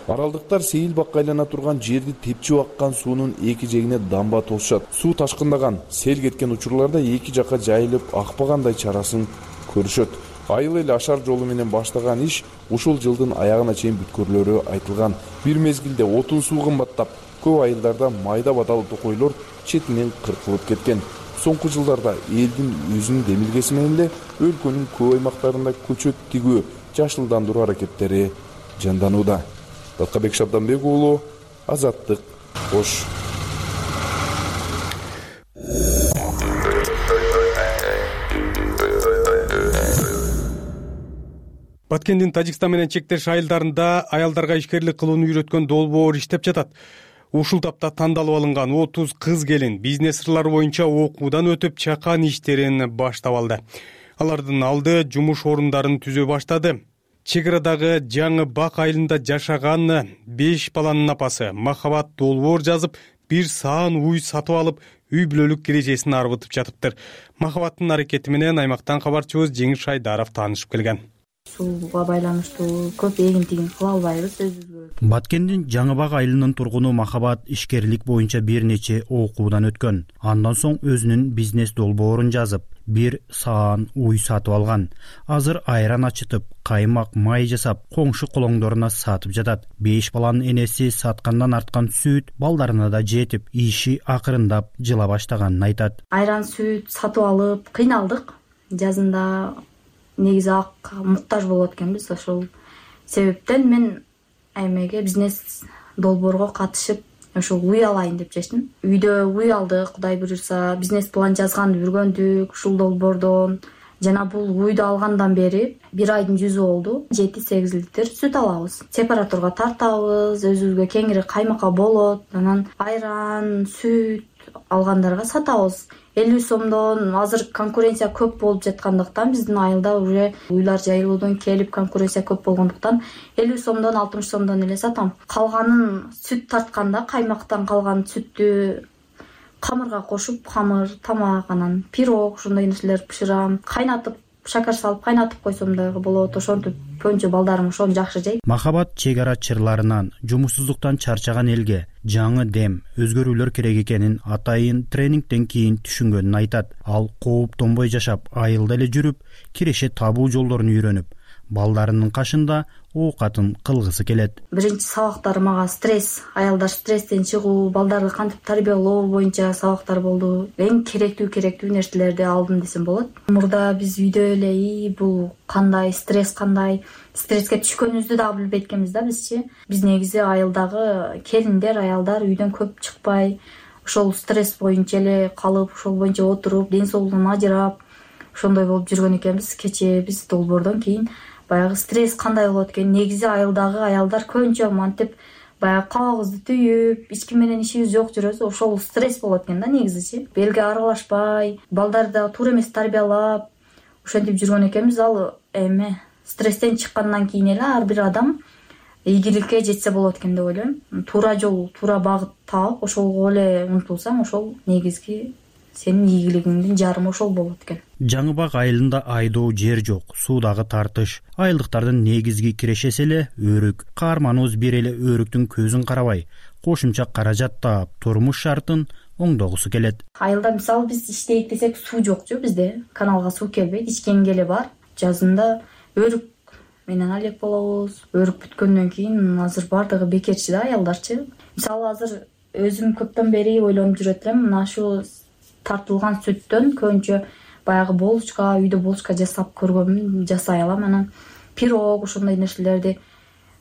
Аралдыктар сейилбакка айлана турган жерди тепчип аккан суунун эки жээгине дамба тосушат. Суу ташкындаган, сел кеткен учурларда эки жакка жайылып акпагандай чарасын көрүшөт. Айыл эл ашар жолу менен баштаган иш ушул жылдын аягына чейин бүткөрүлөрү айтылган. Бир мезгилде отун суу кымбаттап, көп айылдарда майда батал токойлор четинен кыркылып кеткен. Соңку жылдарда элдин өзүнүн демилгеси менен эле өлкөнүн көп аймактарында көчөт тигүү, жашылдандыруу аракеттери жанданууда. Даткабек Шабданбек уулу, Азаттык, Ош.
Баткендин Тажикстан менен чектеш айылдарында аялдарга ишкерлик кылууну үйрөткөн долбоор иштеп жатат. Ушул тапта тандалып алынган 30 кыз келин бизнес сырлары боюнча окуудан өтүп чакан иштерин баштап алды. Алардын алды жумуш орундарын түзө баштады. Чек арадагы жаңы Бак айылында жашаган 5 баланын апасы Махабат долбоор жазып, бир саан уй сатып алып, үй бүлөлүк кережесин арбытып жатыптыр. Махабаттын аракети менен аймактан кабарчыбыз Жеңиш Шайдаров таанышып келген.
Сууга байланыштуу көп эгин-тигин кыла албайбыз өзүбүзгө.
Баткендин Жаңы Бак айылынын тургуну Махабат ишкерлик боюнча бир нече окуудан өткөн. Андан соң өзүнүн бизнес долбоорун жазып, бир саан уй сатып алган. Азыр айран ачытып, каймак, май жасап, коңшу колоңдоруна сатып жатат. 5 баланын энеси саткандан арткан сүт балдарына да жетип, иши акырындап жыла баштаганын айтат.
Айран, сүт сатып алып кыйналдык. Жазында негизи ак муктаж болот экенбиз. Ошол себептен мен эмеге бизнес долбоорго катышып, ошол уй алайын деп чечтим. Үйдө уй алдык, Кудай буйрса, бизнес план жазганды үргөндүк ушул долбоордон. Жана бул уйду алгандан бери 1 айдын жүзү болду. 7-8 литр сүт алабыз. Сепараторго тартабыз, өзүбүзгө кеңири каймакка болот. Анан айран, сүт алгандарга сатабыз. 50 сомдон. Азыр конкуренция көп болуп жаткандыктан биздин айылда уже уйлар жайылуудан келип конкуренция көп болгондуктан 50 сомдон, 60 сомдон эле сатам. Калганын сүт тартканда каймактан калган сүттү камырга кошуп, камыр, тамак, анан пирог, ушундай нерселер бышырам. Кайнатып, шакар салып кайнатып койсом дагы болот. Ошентип көбүнчө балдарым ошону жакшы жейт.
Махабат чек ара чырларынан, жумушсуздуктан чарчаган элге жаңы дем, өзгөрүүлөр керек экенин атайын тренингден кийин түшүнгөнүн айтат. Ал кооптонбой жашап, айылда эле жүрүп, киреше табуу жолдорун үйрөнүп, балдарынын кашында оокатын кылгысы келет.
Биринчи сабактар мага стресс, аялдар стресстен чыгуу, балдарды кантип тарбиялоо боюнча сабактар болду. Эң керектүү нерселерди алдым десем болот. Мурда биз үйдө эле бул кандай, стресс кандай, стресске түшкөнүбүздү дагы билбейт экенбиз да бизчи. Биз негизи айылдагы келиндер, аялдар үйдөн көп чыкпай, ошол стресс боюнча эле калып, ошол боюнча отуруп, ден соолугунан ажырап, ошондой болуп жүргөн экенбиз. Кечээ биз долбоордон кийин баягы стресс кандай болот экен, негизи айылдагы аялдар көбүнчө мантип баягы кабагыбызды түйүп, эч ким менен ишибиз жок жүрөбүз. Ошол стресс болот экен да негизичи. Элге аралашпай, балдарды дагы туура эмес тарбиялап, ошентип жүргөн экенбиз. Ал эме стресстен чыккандан кийин эле ар бир адам ийгиликке жетсе болот экен деп ойлойм. Туура жол, туура багыт таап, ошолго эле умтулсаң, ошол негизги сенин ийгилигиңдин жарымы ошол болот экен.
Жаңы Бак айылында айдоо жер жок, суудагы тартыш. Айылдыктардын негизги кирешеси эле өрүк. Каарманыбыз бир эле өрүктүн көзүн карабай, кошумча каражат таап, турмуш шартын оңдогусу келет.
Айылда мисалы биз иштейт десек суу жокчу bizde. Каналга суу келбейт, ичкенге эле бар. Жазында өрүк менен алек болобуз. Өрүк бүткөндөн кийин азыр бардыгы бекерчи да аялдарчы. Мисалы азыр өзүм көптөн бери ойлонуп жүрөт элем, мына ушу тартылган сүттөн көбүнчө баягы болочка, үйдө болочка жасап көргөнмүн, жасай алам. Анан пирог, ошондой нерселерди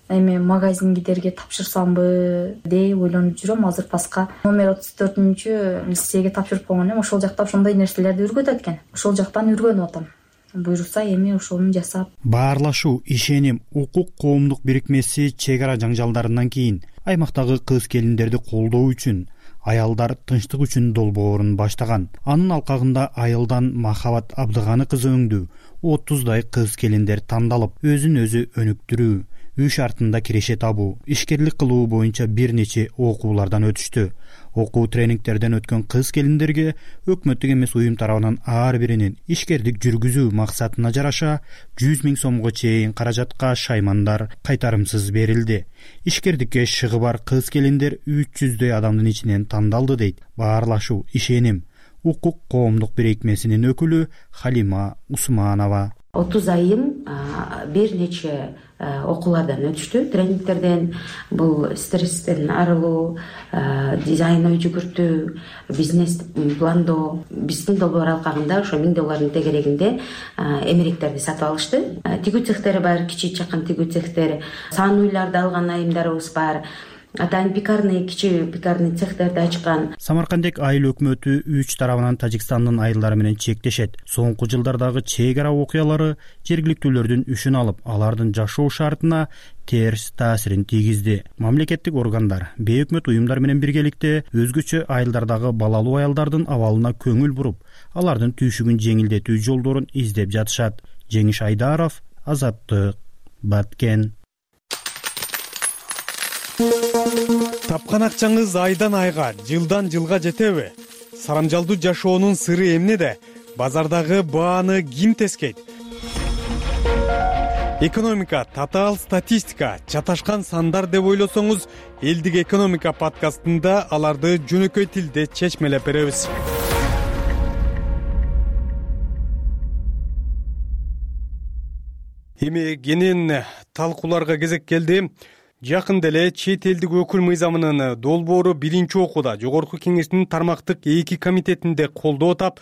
эме магазиндерге тапшырсамбы деп ойлонуп жүрөм. Азыр паска номер 34 лицейге тапшырып койгон элем. Ошол жакта ошондой нерселерди үргөтөт экен. Ошол жактан үргөнүп атам. Буйрса эми ошону жасап.
Баарлашуу, ишеним, укук коомдук бирикмеси чек ара жаңжалдарынан кийин аймактагы кыз келиндерди колдоо үчүн аялдар тынчтык үчүн долбоорун баштаган. Анын алкагында айылдан Махабат Абдыганы кызы өңдүү 30дай кыз келиндер тандалып, өзүн өзү өнүктүрүү, үй шартында киреше табуу, ишкерлик кылуу боюнча бир нече окуулардан өтүштү. Окуу тренингтерден өткөн кыз келиндерге өкмөттүк эмес уюм тарабынан ар биринин ишкерлик жүргүзүү максатына жараша 100 000 сомго чейин каражатка шаймандар кайтарымсыз берилди. Ишкерликке шыгы бар кыз келиндер 300дөй адамдын ичинен тандалды дейт Баарлашуу, ишеним, укук коомдук бирикмесинин өкүлү Халима Усманова.
30 айым бир нече окуулардан өтүштү, тренингтерден. Бул стресстен арылуу, дизайн ой жүгүртүү, бизнес пландоо. Биздин долбоор алкагында ошо $1000 тегерегинде эмеректерди сатып алышты. Тигүү цехтери бар, кичи чакан тигүү цехтер, сан уйларды алган айымдарыбыз бар. Атайын пекарный, кичи пекарный цехтерди ачкан.
Самаркандек айыл өкмөтү 3 тарабынан Тажикстандын айылдары менен чектешет. Соңку жылдардагы чек ара окуялары жергиликтүүлөрдүн үшүн алып, алардын жашоо шартына терс таасирин тийгизди. Мамлекеттик органдар, бейөкмөт уюмдар менен биргеликте өзгөчө айылдардагы балалуу аялдардын абалына көңүл буруп, алардын түйшүгүн жеңилдетүү жолдорун издеп жатышат. Жеңиш Айдаров, Азаттык, Баткен.
Тапкан акчаңыз айдан айга, жылдан жылга жетеби? Сарамжалдуу жашоонун сыры эмнеде? Базардагы бааны ким тескейт? Экономика, татаал статистика, чаташкан сандар деп ойлосоңуз, Элдик экономика подкастында аларды жөнөкөй тилде чечмелеп беребиз. Эми кенен талкууларга кезек келди. Жакында эле чет элдик өкүл мыйзамынын долбоору биринчи окууда Жогорку Кеңештин тармактык 2 комитетинде колдоо тап,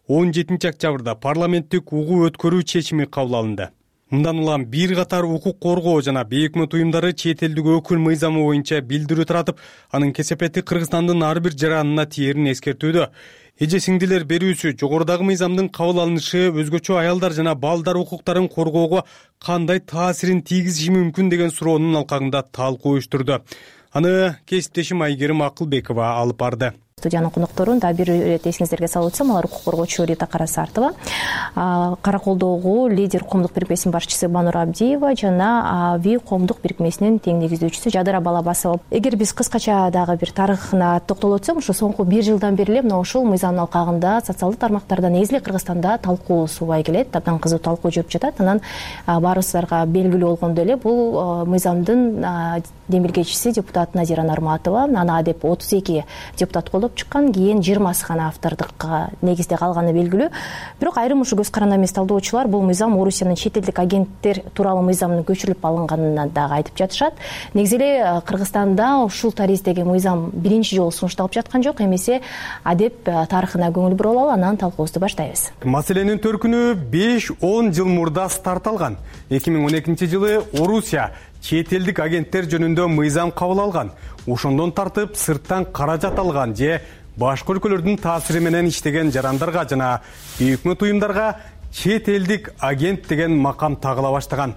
17 октябрда парламенттик угуу өткөрүү чечими кабыл алынды. Мындан улам бир катар укук коргоо жана бейөкмөт уюмдары чет элдик өкүл мыйзамы боюнча билдирүү таратып, анын кесепети Кыргызстандын ар бир жаранына тиерин эскертүүдө. Эже сиңдилер берүүсү жогорудагы мыйзамдын кабыл алынышы өзгөчө аялдар жана балдар укуктарын коргоого кандай таасирин тийгизиши мүмкүн деген суроонун алкагында талкуу уюштурду. Аны кесиптешим Айгерим Акылбекова алып барды.
Студиянын конокторун да бир ирет эсиңиздерге салып өтсөм, алар укук коргоочу Рита Карасартова, Караколдогу лидер коомдук бирикмесинин башчысы Банур Абдиева жана АВИ коомдук бирикмесинин тең негиздөөчүсү Жадыра Балабасова. Эгер биз кыскача дагы бир тарыхына токтолуп өтсөм, ушу соңку 1 жылдан бери эле мына ушул мыйзамдын алкагында социалдык тармактарда негизи эле Кыргызстанда талкуу субай келет, абдан кызуу талкуу жүрүп жатат. Анан баарыбыздарга белгилүү болгондой эле бул мыйзамдын демилгечиси депутат Назира Нарматова, аны адеп 32 депутат колдоп чыккан, кийин 20 гана автордукка негизде калганы белгилүү. Бирок айрым ушу көз каранды эмес талдоочулар бул мыйзам Орусиянын чет элдик агенттер тууралуу мыйзамынын көчүрүлүп алынганын дагы айтып жатышат. Негизи эле Кыргызстанда ушул тарыздеги мыйзам биринчи жолу сунушталып жаткан жок, эмесе адеп тарыхына көңүл буруп алалы, анан талкуубузду баштайбыз.
Маселенин төркүнү 5-10 жыл мурда старт алган. 2012 жылы Орусия чет элдик агенттер жөнүндө мыйзам кабыл алган. Ошондон тартып сырттан каражат алган же башка өлкөлөрдүн таасири менен иштеген жарандарга жана бейөкмөт уюмдарга чет элдик агент деген макам тагыла баштаган.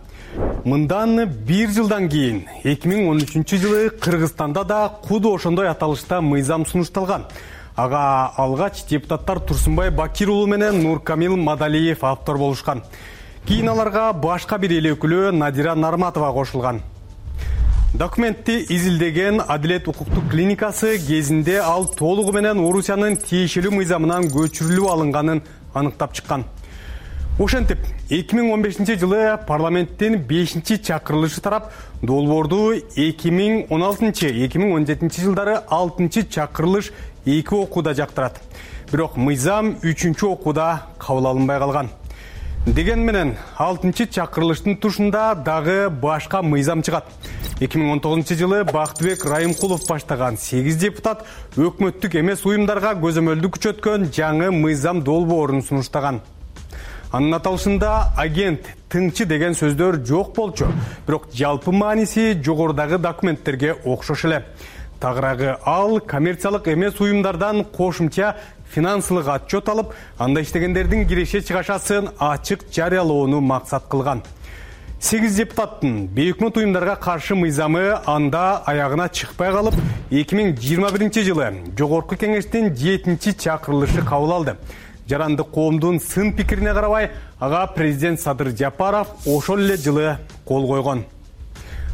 Мындан 1 жылдан кийин 2013 жылы Кыргызстанда да куду ошондой аталышта мыйзам сунушталган. Ага алгач депутаттар Турсунбай Бакир уулу менен Нуркамил Мадалиев автор болушкан. Кийин аларга башка бир эл өкүлү Надира Нарматова кошулган. Документти изилдеген Адилет укуктук клиникасы кезинде ал толугу менен Орусиянын тиешелүү мыйзамынан көчүрүлүп алынганын аныктап чыккан. Ошентип, 2015 жылы парламенттин 5-чакырылышы тарап долбоорду 2016-2017 жылдары 6-чакырылыш 2 окууда жактырат. Бирок мыйзам 3-окууда кабыл алынбай калган. Деген менен 6-чакырылыштын тушунда дагы башка мыйзам чыгат. 2019 жылы Бактыбек Райымкулов баштаган 8 депутат өкмөттүк эмес уюмдарга көзөмөлдү күчөткөн жаңы мыйзам долбоорун сунуштаган. Анын аталышында агент, тыңчы деген сөздөр жок болчу, бирок жалпы мааниси жогорудагы документтерге окшош эле. Тагыраагы ал коммерциялык эмес уюмдардан кошумча финансылык отчет алып, анда иштегендердин киреше чыгашасын ачык жарыялоону максат кылган. 8 депутаттын бейөкмөт уюмдарга каршы мыйзамы анда аягына чыкпай калып, 2021 жылы Жогорку Кеңештин 7-чакырылышы кабыл алды. Жарандык коомдун сын пикирине карабай, ага президент Садыр Жапаров ошол эле жылы кол койгон.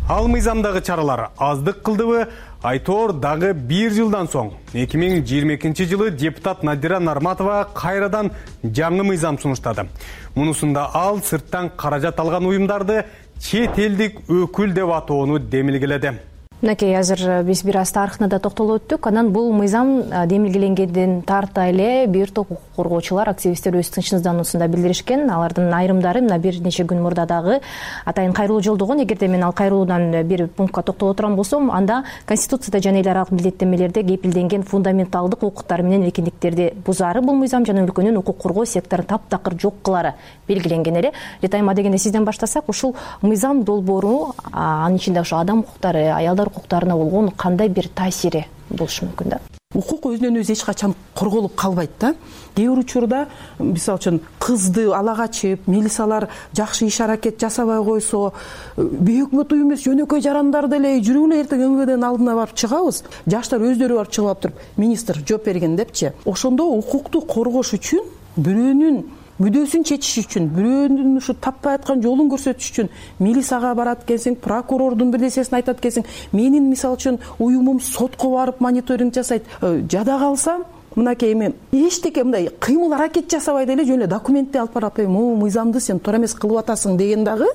Ал мыйзамдагы чаралар аздык кылдыбы? Айтор дагы 1 жылдан соң 2022 жылы депутат Надира Нарматова кайрадан жаңы мыйзам сунуштады. Мунусунда ал сырттан каражат алган уюмдарды чет элдик өкүл деп атоону демилгеледи.
Мынакей азыр биз бир аз тарыхына да токтолуп өттүк. Анан бул мыйзам демилгеленгенден тарта эле бир топ укук коргоочулар, активисттер өз тынчсыздануусунда билдиришкен. Алардын айрымдары мына бир нече күн мурда дагы атайын кайрылуу жолдогон. Эгерде мен ал кайрылуудан бир пунктка токтоло турган болсом, анда Конституцияда жана эл аралык милдеттенмелерде кепилденген фундаменталдык укуктар менен эркиндиктерди бузаары бул мыйзам жана өлкөнүн укук коргоо секторун таптакыр жок кылаары белгиленген эле. Ретайма дегенде сизден баштасак, ушул мыйзам долбоору анын ичинде ошо адам укуктары, аялдар укуктарына болгон кандай бир таасири болушу мүмкүн да?
Укук өзүнөн өзү эч качан корголуп калбайт да. Кээ бир учурда мисалы үчүн кызды ала качып, милициялар жакшы иш аракет жасабай койсо, бейөкмөт уюм эмес жөнөкөй жарандар деле жүрүп эле эртең МВДнын алдына барып чыгабыз. Жаштар өздөрү барып чыгып алып туруп, министр жооп берген депчи. Ошондо укукту коргош үчүн, бирөөнүн мүдөөсүн чечиш үчүн, бирөөнүн ушу таппай аткан жолун көрсөтүш үчүн милицияга барат экенсиң, прокурордун бирнерсесин айтат экенсиң, менин мисалы үчүн уюмум сотко барып мониторинг жасайт. Жада калса, мынакей эми эчтеке мындай кыймыл аракет жасабай деле жөн эле документти алып барып, мыйзамды сен туура эмес кылып атасың деген дагы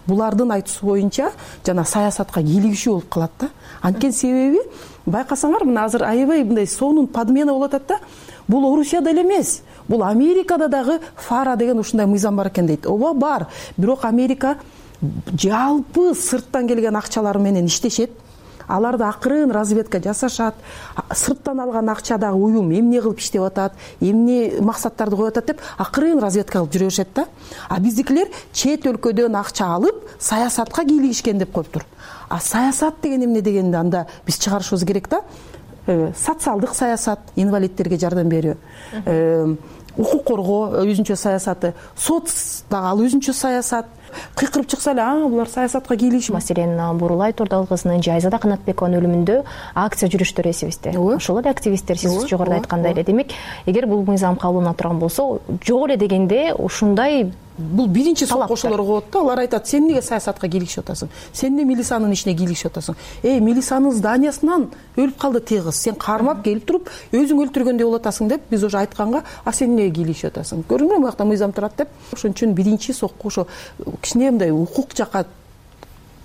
булардын айтуусу боюнча жана саясатка кийлигишүү болуп калат да. Анткени себеби байкасаңар, мына азыр аябай мындай сонун подмена болуп атат да. Бул Орусияда эле эмес, бул Америкада дагы фара деген ушундай мыйзам бар экен дейт. Ооба бар, бирок Америка жалпы сырттан келген акчалары менен иштешет. Аларды акырын разведка жасашат. Сырттан алган акчадагы уюм эмне кылып иштеп атат, эмне максаттарды коюп атат деп акырын разведка кылып жүрө беришет да. А биздикилер чет өлкөдөн акча алып саясатка кийлигишкен деп коюптур. А саясат деген эмне дегенде анда биз чыгарышыбыз керек да. Социалдык саясат, инвалидтерге жардам берүү, укук коргоо өзүнчө саясаты, соц дагы ал өзүнчө саясат. Кыйкырып чыкса эле, булар саясатка кийлигишет.
Маселен, Бурулай Турдал кызынын Жайзада Канатбекованын өлүмүндө акция жүрүштөрү эсибизде. Ошол эле активисттер сиз жогоруда айткандай эле. Демек, эгер бул мыйзам кабылдана турган болсо, жок эле дегенде ушундай
бул биринчи соккошолор коет да. Алар айтат, сен эмнеге саясатка кийлигишип атасың? Сен эмне милициянын ишине кийлигишип атасың? Милициянын зданиясынан өлүп калды тегиз. Сен кармап келип туруп, өзүң өлтүргөндөй болуп атасың деп биз уже айтканга, а сен эмнеге кийлигишип атасың? Көрдүңбү, бул жакта мыйзам турат деп. Ошон үчүн биринчи сокку ошо кичине мындай укук жакка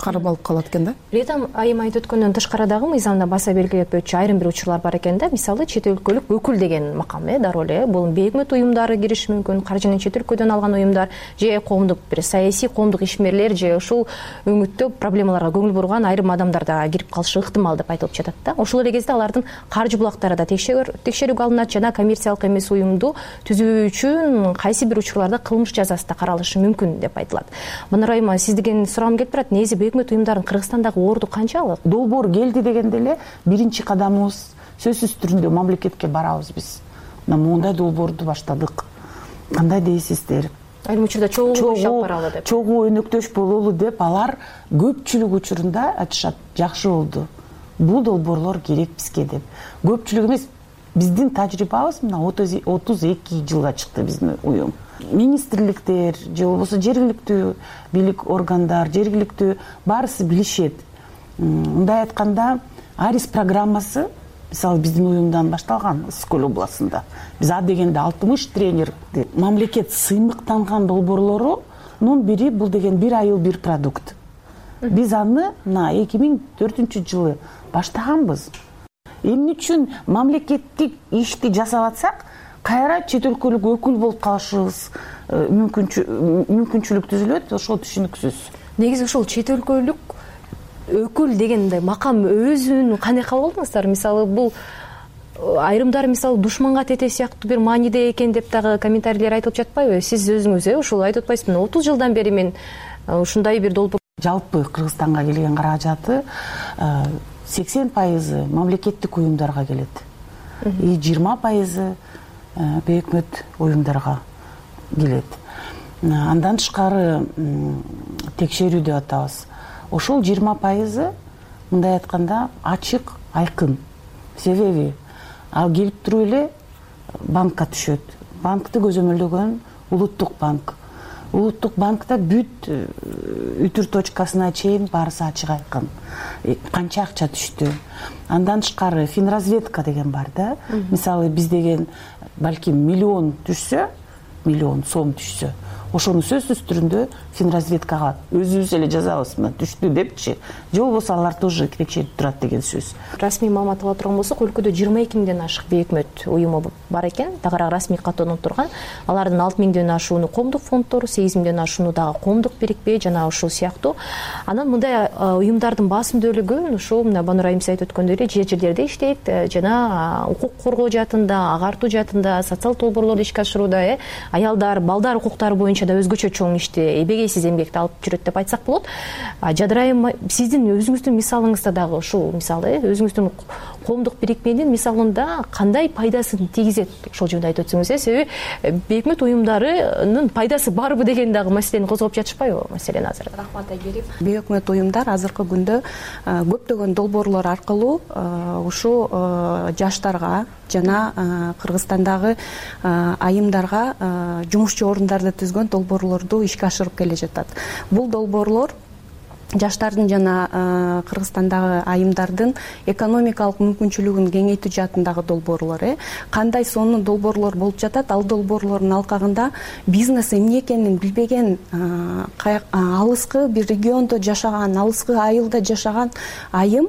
кармалып калат экен да.
Ретам айым айтып өткөндөн тышкары дагы мыйзамда баса белгилетпөчү айрым бир учурлар бар экен да. Мисалы, чет өлкөлүк өкүл деген макам, дароо эле бул бейөкмөт уюмдары кириши мүмкүн, каржыны чет өлкөдөн алган уюмдар, же коомдук бир саясий коомдук ишмерлер, же ушул өңүттө проблемаларга көңүл бурган айрым адамдар да кирип калышы ыктымал деп айтылып жатат да. Ошол эле кезде алардын каржы булактары да текшерүүгө алынат жана коммерциялык эмес уюмду түзүү үчүн кайсы бир учурларда кылмыш жазасы да каралышы мүмкүн деп айтылат. Манар айыма, сизден суроом келип турат, негизи бейөкмөт уюмдардын Кыргызстандагы орду канчалык?
Долбоор келди дегенде эле биринчи кадамыбыз сөзсүз түрүндө мамлекетке барабыз биз. Мына моундай долбоорду баштадык. Кандай дейсиздер?
Айрым учурда чогуу иш алып баралы деп.
Чогуу өнөктөш бололу деп алар көпчүлүк учурунда айтышат, жакшы болду. Бул долбоорлор керек бизге деп. Көпчүлүк эмес, биздин тажрыйбабыз мына 32 жылга чыкты биздин уюм. Министрликтер же болбосо жергиликтүү бийлик органдар, жергиликтүү баарысы билишет. Мындай айтканда, Арис программасы мисалы биздин уюмдан башталган Скөл областында. Биз а дегенде 60 тренер мамлекет сыймыктанган долбоорлорунун бири бул деген бир айыл бир продукт. Биз аны мына 2004 жылы баштаганбыз. Эмне үчүн мамлекеттик ишти жасап атсак, кайра чет өлкөлүк өкүл болуп калышыбыз мүмкүнчүлүк түзүлөт, ошол түшүнүксүз.
Негизи ушул чет өлкөлүк өкүл дегенде макам өзүн кандай кабыл алдыңыздар? Мисалы, бул айрымдары мисалы душманга тете сыяктуу бир мааниде экен деп дагы комментарийлер айтылып жатпайбы? Сиз өзүңүз ушул айтып атпайсызбы? 30 жылдан бери мен ушундай бир долбоор.
Жалпы Кыргызстанга келген каражаты 80% мамлекеттик уюмдарга келет. 20% бейөкмөт уюмдарга келет. Андан тышкары текшерүү деп атабыз. Ошол 20% мындай айтканда ачык, айкын. Себеби ал келип туруп эле банкка түшөт. Банкты көзөмөлдөгөн Улуттук банк. Улуттук банкта бүт үтүр точкасына чейин баарысы ачык айкын. Канча акча түштү. Андан тышкары финразведка деген бар да. Мисалы, биз деген балким миллион түшсө, миллион сом түшсө, ошону сөзсүз түрүндө финразведкага өзүбүз эле жазабыз, мына түштү депчи. Же болбосо алар тоже текшерип турат деген сөз.
Расмий маалымат ала турган болсок, өлкөдө 22 миңден ашык бейөкмөт уюму бар экен. Тагыраак расмий каттоонуп турган. Алардын 6 миңден ашууну коомдук фонддор, 8 миңден ашууну дагы коомдук бирикпе жана ушул сыяктуу. Анан мындай уюмдардын басымдуулугу ушул мына Банур айым айтып өткөндөй эле жерлерде иштейт жана укук коргоо жаатында, агартуу жаатында, социалдык долбоорлорду ишке ашырууда, аялдар, балдар укуктары боюнча боюнча да өзгөчө чоң ишти, эбегейсиз эмгекти алып жүрөт деп айтсак болот. Жадыр айым, сиздин өзүңүздүн мисалыңызда дагы ушул мисалы өзүңүздүн коомдук бирикменин мисалында кандай пайдасын тийгизет ошол жөнүндө айтып өтсөңүз. Себеби бейөкмөт уюмдарынын пайдасы барбы деген дагы маселени козгоп жатышпайбы маселени азыр?
Рахмат Айгерим. Бейөкмөт уюмдар азыркы күндө көптөгөн долбоорлор аркылуу ушул жаштарга жана Кыргызстандагы айымдарга жумушчу орундарды түзгөн долбоорлорду ишке ашырып келе жатат. Бул долбоорлор жаштардын жана Кыргызстандагы айымдардын экономикалык мүмкүнчүлүгүн кеңейтүү жаатындагы долбоорлор. Кандай сонун долбоорлор болуп жатат? Ал долбоорлордун алкагында бизнес эмне экенин билбеген, алыскы бир региондо жашаган, алыскы айылда жашаган айым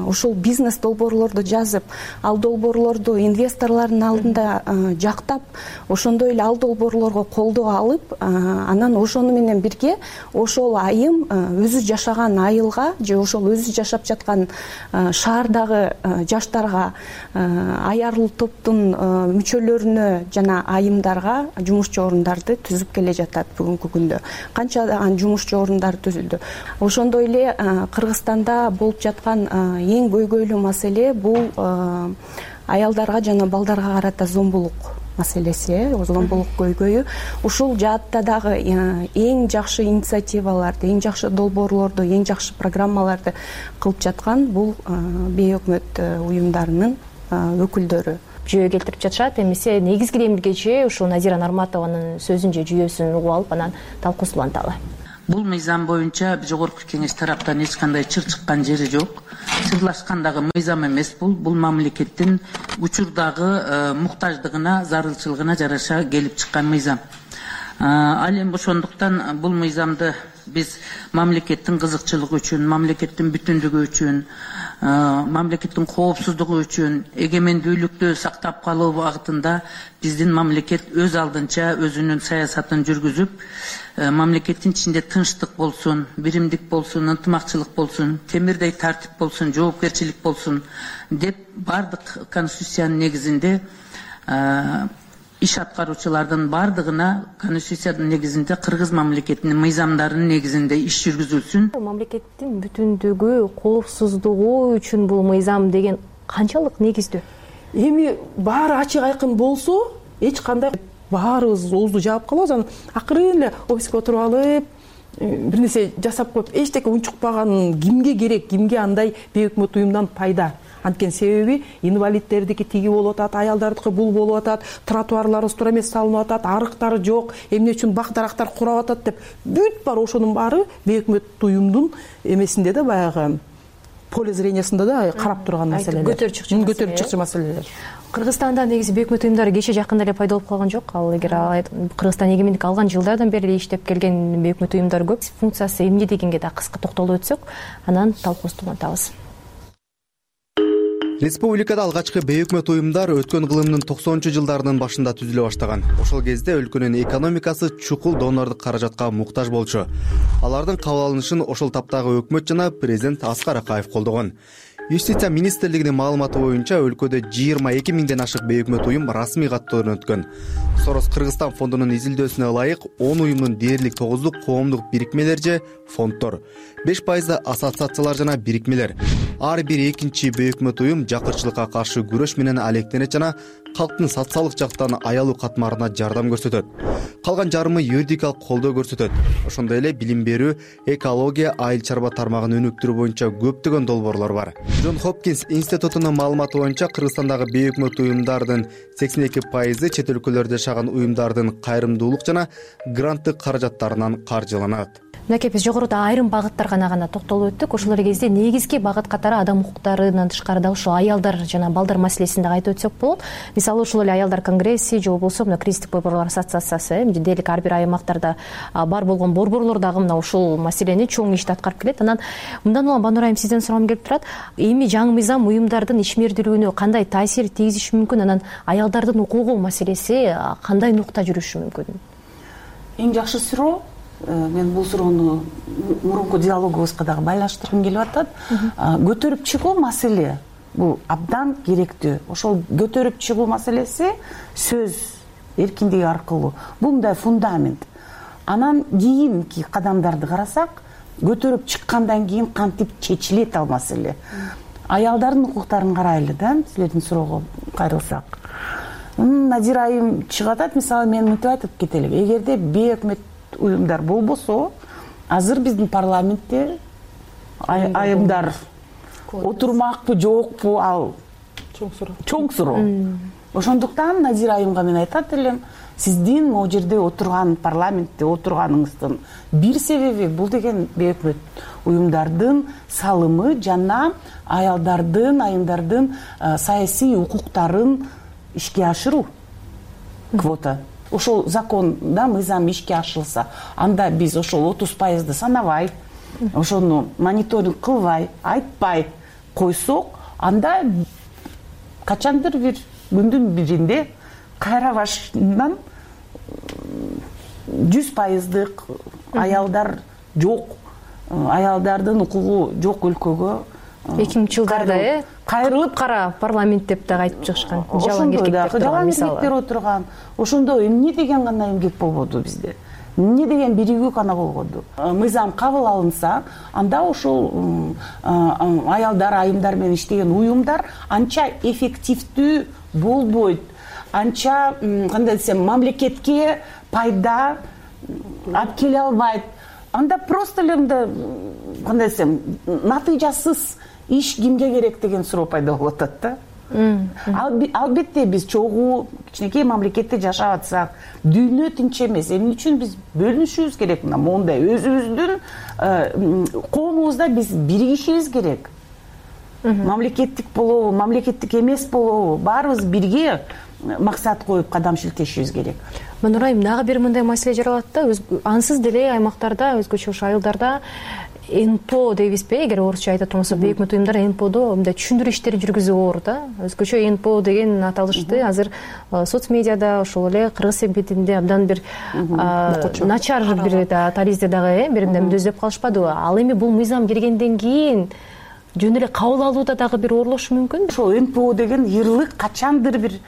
ушул бизнес долбоорлорду жазып, ал долбоорлорду инвесторлордун алдында жактап, ошондой эле ал долбоорлорго колдоо алып, анан ошону менен бирге ошол айым өзү жашаган айылга же ошол өзү жашап жаткан шаардагы жаштарга, аярлуу топтун мүчөлөрүнө жана айымдарга жумушчу орундарды түзүп келе жатат бүгүнкү күндө. Канчадан жумушчу орундар түзүлдү. Ошондой эле Кыргызстанда болуп жаткан эң көйгөйлүү маселе бул аялдарга жана балдарга карата зомбулук маселеси, зомбулук көйгөйү. Ушул жаатта дагы эң жакшы инициативаларды, эң жакшы долбоорлорду, эң жакшы программаларды кылып жаткан бул бейөкмөт уюмдарынын өкүлдөрү
жүйө келтирип жатышат. Эмесе негизги демилгечи ушул Назира Нарматованын сөзүн же жүйөсүн угуп алып анан талкуусун уланталы.
Бул мыйзам боюнча жогорку кеңеш тараптан эч кандай чыр чыккан жери жок. Чырлашкандагы мыйзам эмес бул мамлекеттин учурдагы муктаждыгына, зарылчылыгына жараша келип чыккан мыйзам. Ал эми ошондуктан бул мыйзамды биз мамлекеттин кызыкчылыгы үчүн, мамлекеттин бүтүндүгү үчүн, мамлекеттин коопсуздугу үчүн, эгемендүүлүктү сактап калуу багытында биздин мамлекет өз алдынча өзүнүн саясатын жүргүзүп, мамлекеттин ичинде тынчтык болсун, биримдик болсун, ынтымакчылык болсун, темирдей тартип болсун, жоопкерчилик болсун деп бардык конституциянын негизинде иш аткаруучулардын бардыгына конституциянын негизинде кыргыз мамлекетинин мыйзамдарынын негизинде иш жүргүзүлсүн.
Мамлекеттин бүтүндүгү, коопсуздугу үчүн бул мыйзам деген канчалык негиздүү?
Эми баары ачык айкын болсо, эч кандай баарыбыз оозду жаап калабыз, анан акырын эле офиске отуруп алып, бир нерсе жасап коюп, эчтеке унчукпаган кимге керек, кимге андай бейөкмөт уюмдан пайда? Анткени себеби инвалидтердики тиги болуп атат, аялдардыкы бул болуп атат, тротуарлары устура эмес салынып атат, арыктары жок, эмне үчүн бак дарактар курап атат деп бүт баары ошонун баары бейөкмөт уюмдун эмесинде да баягы поле зрениясында да карап турган маселелер. Көтөрүп чыкчу маселелер.
Кыргызстанда негизи бейөкмөт уюмдары кече жакында эле пайда болуп калган жок. Ал эгер Кыргызстан эгемендик алган жылдардан бери иштеп келген бейөкмөт уюмдар көп. Функциясы эмне дегенге да кыска токтолуп өтсөк, анан талкуубузду улантабыз.
Республикада алгачкы бейөкмөт уюмдар өткөн кылымдын 90-жылдарынын башында түзүлө баштаган. Ошол кезде өлкөнүн экономикасы чукул донорлук каражатка муктаж болчу. Алардын кабыл алынышын ошол таптагы өкмөт жана президент Аскар Акаев колдогон. Юстиция министрлигинин маалыматы боюнча өлкөдө 22 миңден ашык бейөкмөт уюм расмий каттоодон өткөн. Сорос Кыргызстан фондунун изилдөөсүнө ылайык 10 уюмдун дээрлик 9-ду коомдук бирикмелер же фонддор, 5% ассоциациялар жана бирикмелер. Ар бир экинчи бейөкмөт уюм жакырчылыкка каршы күрөш менен алектенет жана калктын социалдык жактан аялуу катмарына жардам көрсөтөт. Калган жарымы юридикалык колдоо көрсөтөт. Ошондой эле билим берүү, экология, айыл чарба тармагын өнүктүрүү боюнча көптөгөн долбоорлор бар. Джон Хопкинс институтунун маалыматы боюнча Кыргызстандагы бейөкмөт уюмдардын 82% чет өлкөлөрдө жашаган уюмдардын кайрымдуулук жана гранттык каражаттарынан каржыланат.
Мынакей биз жогоруда айрым багыттарга гана токтолуп өттүк. Ошол кезде негизги багыт катары адам укуктарынан тышкары да ушул аялдар жана балдар маселесин да айтып өтсөк болот. Мисалы ушул эле аялдар конгресси же болбосо мына кризистик борборлор ассоциациясы дээрлик ар бир аймактарда бар болгон борборлор дагы мына ушул маселени чоң ишти аткарып келет. Анан мындан улам Банур айым сизден сурагым келип турат. Эми жаңы мыйзам уюмдардын ишмердүүлүгүнө кандай таасир тийгизиши мүмкүн? Анан аялдардын укугу маселеси кандай нукта жүрүшү мүмкүн?
Эң жакшы суроо. Мен бул суроону мурунку диалогубузга дагы байланыштыргым келип атат. Көтөрүп чыгуу маселе бул абдан керектүү. Ошол көтөрүп чыгуу маселеси сөз эркиндиги аркылуу. Бул мындай фундамент. Анан кийинки кадамдарды карасак, көтөрүп чыккандан кийин кантип чечилет ал маселе. Аялдардын укуктарын карайлы да, силердин суроого кайрылсак. Назира айым чыгып атат, мисалы мен мынтип айтып кетелим. Эгерде бейөкмөт уюмдар болбосо, азыр биздин парламентте айымдар отурмакпы, жокпу, ал чоң суроо. Ошондуктан Назира айымга мен айтат элем, сиздин могу жерде отурган, парламентте отурганыңыздын бир себеби бул деген бейөкмөт уюмдардын салымы жана аялдардын, айымдардын саясий укуктарын ишке ашыруу. Квота. Ошол законда мыйзам ишке ашырылса, анда биз ошол 30% санабай, ошону мониторинг кылбай, айтпай койсок, анда качандыр бир күндүн биринде кайра башынан 100%дык аялдар жок, аялдардын укугу жок өлкөгө
2000-жылдарда
кайрылып
кара парламент деп дагы айтып чыгышкан.
Жалаң эркектер отурган. Ошондо эмне деген гана эмгек болбоду бизде? Эмне деген биригүү гана болгоду? Мыйзам кабыл алынса, анда ошол аялдар, айымдар менен иштеген уюмдар анча эффективдүү болбойт. Анча, кандай десем, мамлекетке пайда алып келе албайт. Анда просто эле мындай, кандай десем, натыйжасыз иш кимге керек деген суроо пайда болуп атат да. Албетте биз чогуу кичинекей мамлекетте жашап атсак, дүйнө тинч эмес. Эмне үчүн биз бөлүнүшүбүз керек? Мондай өзүбүздүн коомубузда биз биригишибиз керек. Мамлекеттик болобу, мамлекеттик эмес болобу, баарыбыз бирге максат коюп кадам шилтешибиз керек.
Манура айым, дагы бир мындай маселе жаралат да, ансыз деле аймактарда, өзгөчө ошо айылдарда НПО дейбизби, эгер орусча айта турмаса, бейөкмөт уюмдар НПОдо мындай түшүндүрүү иштери жүргүзүп оор да. Өзгөчө НПО деген аталышты азыр соц медиада, ошол эле кыргыз эмгетинде абдан бир начар бир таризде дагы биримден дөзөп калышпадыбы? Ал эми бул мыйзам киргенден кийин жөн эле кабыл алууда дагы бир оорлошу мүмкүн.
Ошол НПО деген ырлык качандыр бир,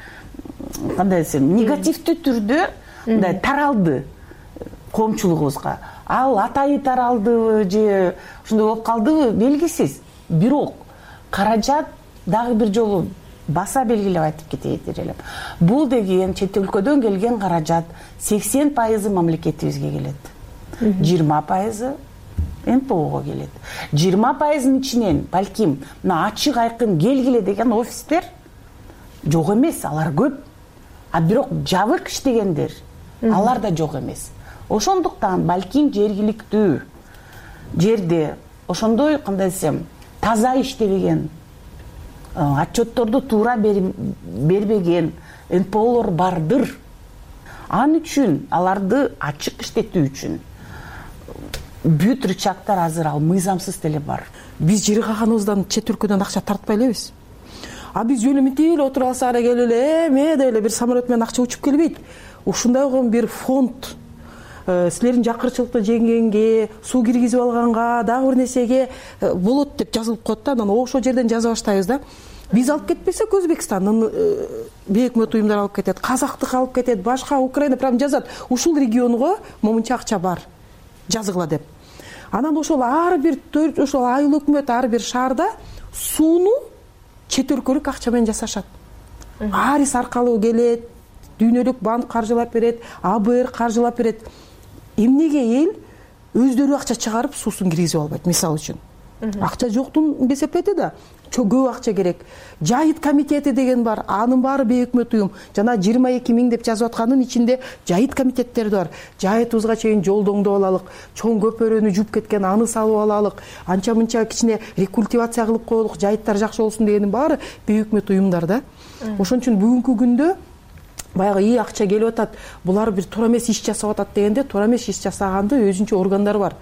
кандай десем, негативдүү түрдө мындай таралды коомчулугубузга. Ал атайы таралдыбы же ушундай болуп калдыбы белгисиз. Бирок каражат дагы бир жолу баса белгилеп айтып кетейин элем. Бул деген чет өлкөдөн келген каражат 80% мамлекетибизге келет. 20% НПОго келет. 20%-ын ичинен балким мына ачык айкын келгиле деген офистер жок эмес, алар көп. А бирок жабык иштегендер алар да жок эмес. Ошондуктан балким жергиликтүү жерде ошондой, кандай десем, таза иштебеген, отчетторду туура бербеген НПОлор бардыр. Ал үчүн аларды ачык иштетүү үчүн бүт рычагдар азыр ал мыйзамсыз деле бар.
Биз жери калганыбыздан чет өлкөдөн акча тартпай элебиз. А биз жөн мынтип эле отуруп алсак эле келип эле эмеде эле бир самолет менен акча учуп келбейт. Ушундай болгон бир фонд силердин жакырчылыкты жеңгенге, суу киргизип алганга, дагы бир нерсеге болот деп жазылып коет да. Анан ошол жерден жаза баштайбыз да. Биз алып кетпесек, Өзбекстандын бейөкмөт уюмдар алып кетет, казактык алып кетет, башка Украина прям жазат. Ушул регионго момунча акча бар, жазгыла деп. Анан ошол ар бир ошол айыл өкмөт ар бир шаарда сууну чет өлкөлүк акча менен жасашат. Арис аркылуу келет, дүйнөлүк банк каржылап берет, АБР каржылап берет. Эмнеге эл өздөрү акча чыгарып суусун киргизип албайт, мисалы үчүн? Акча жоктун кесепети да, көп акча керек. Жайыт комитети деген бар, анын баары бейөкмөт уюм. Жана 22 000 деп жазып аткандын ичинде жайыт комитеттери бар. Жайытыбызга чейин жолдоңдоп алалык, чоң көпөрөнү жууп кеткен аны салып алалык, анча мынча кичине рекультивация кылып коелук, жайыттар жакшы болсун дегенин баары бейөкмөт уюмдар да. Ошон үчүн бүгүнкү күндө баягы акча келип атат, булар бир туура эмес иш жасап атат дегенде, туура эмес иш жасаганды өзүнчө органдар бар.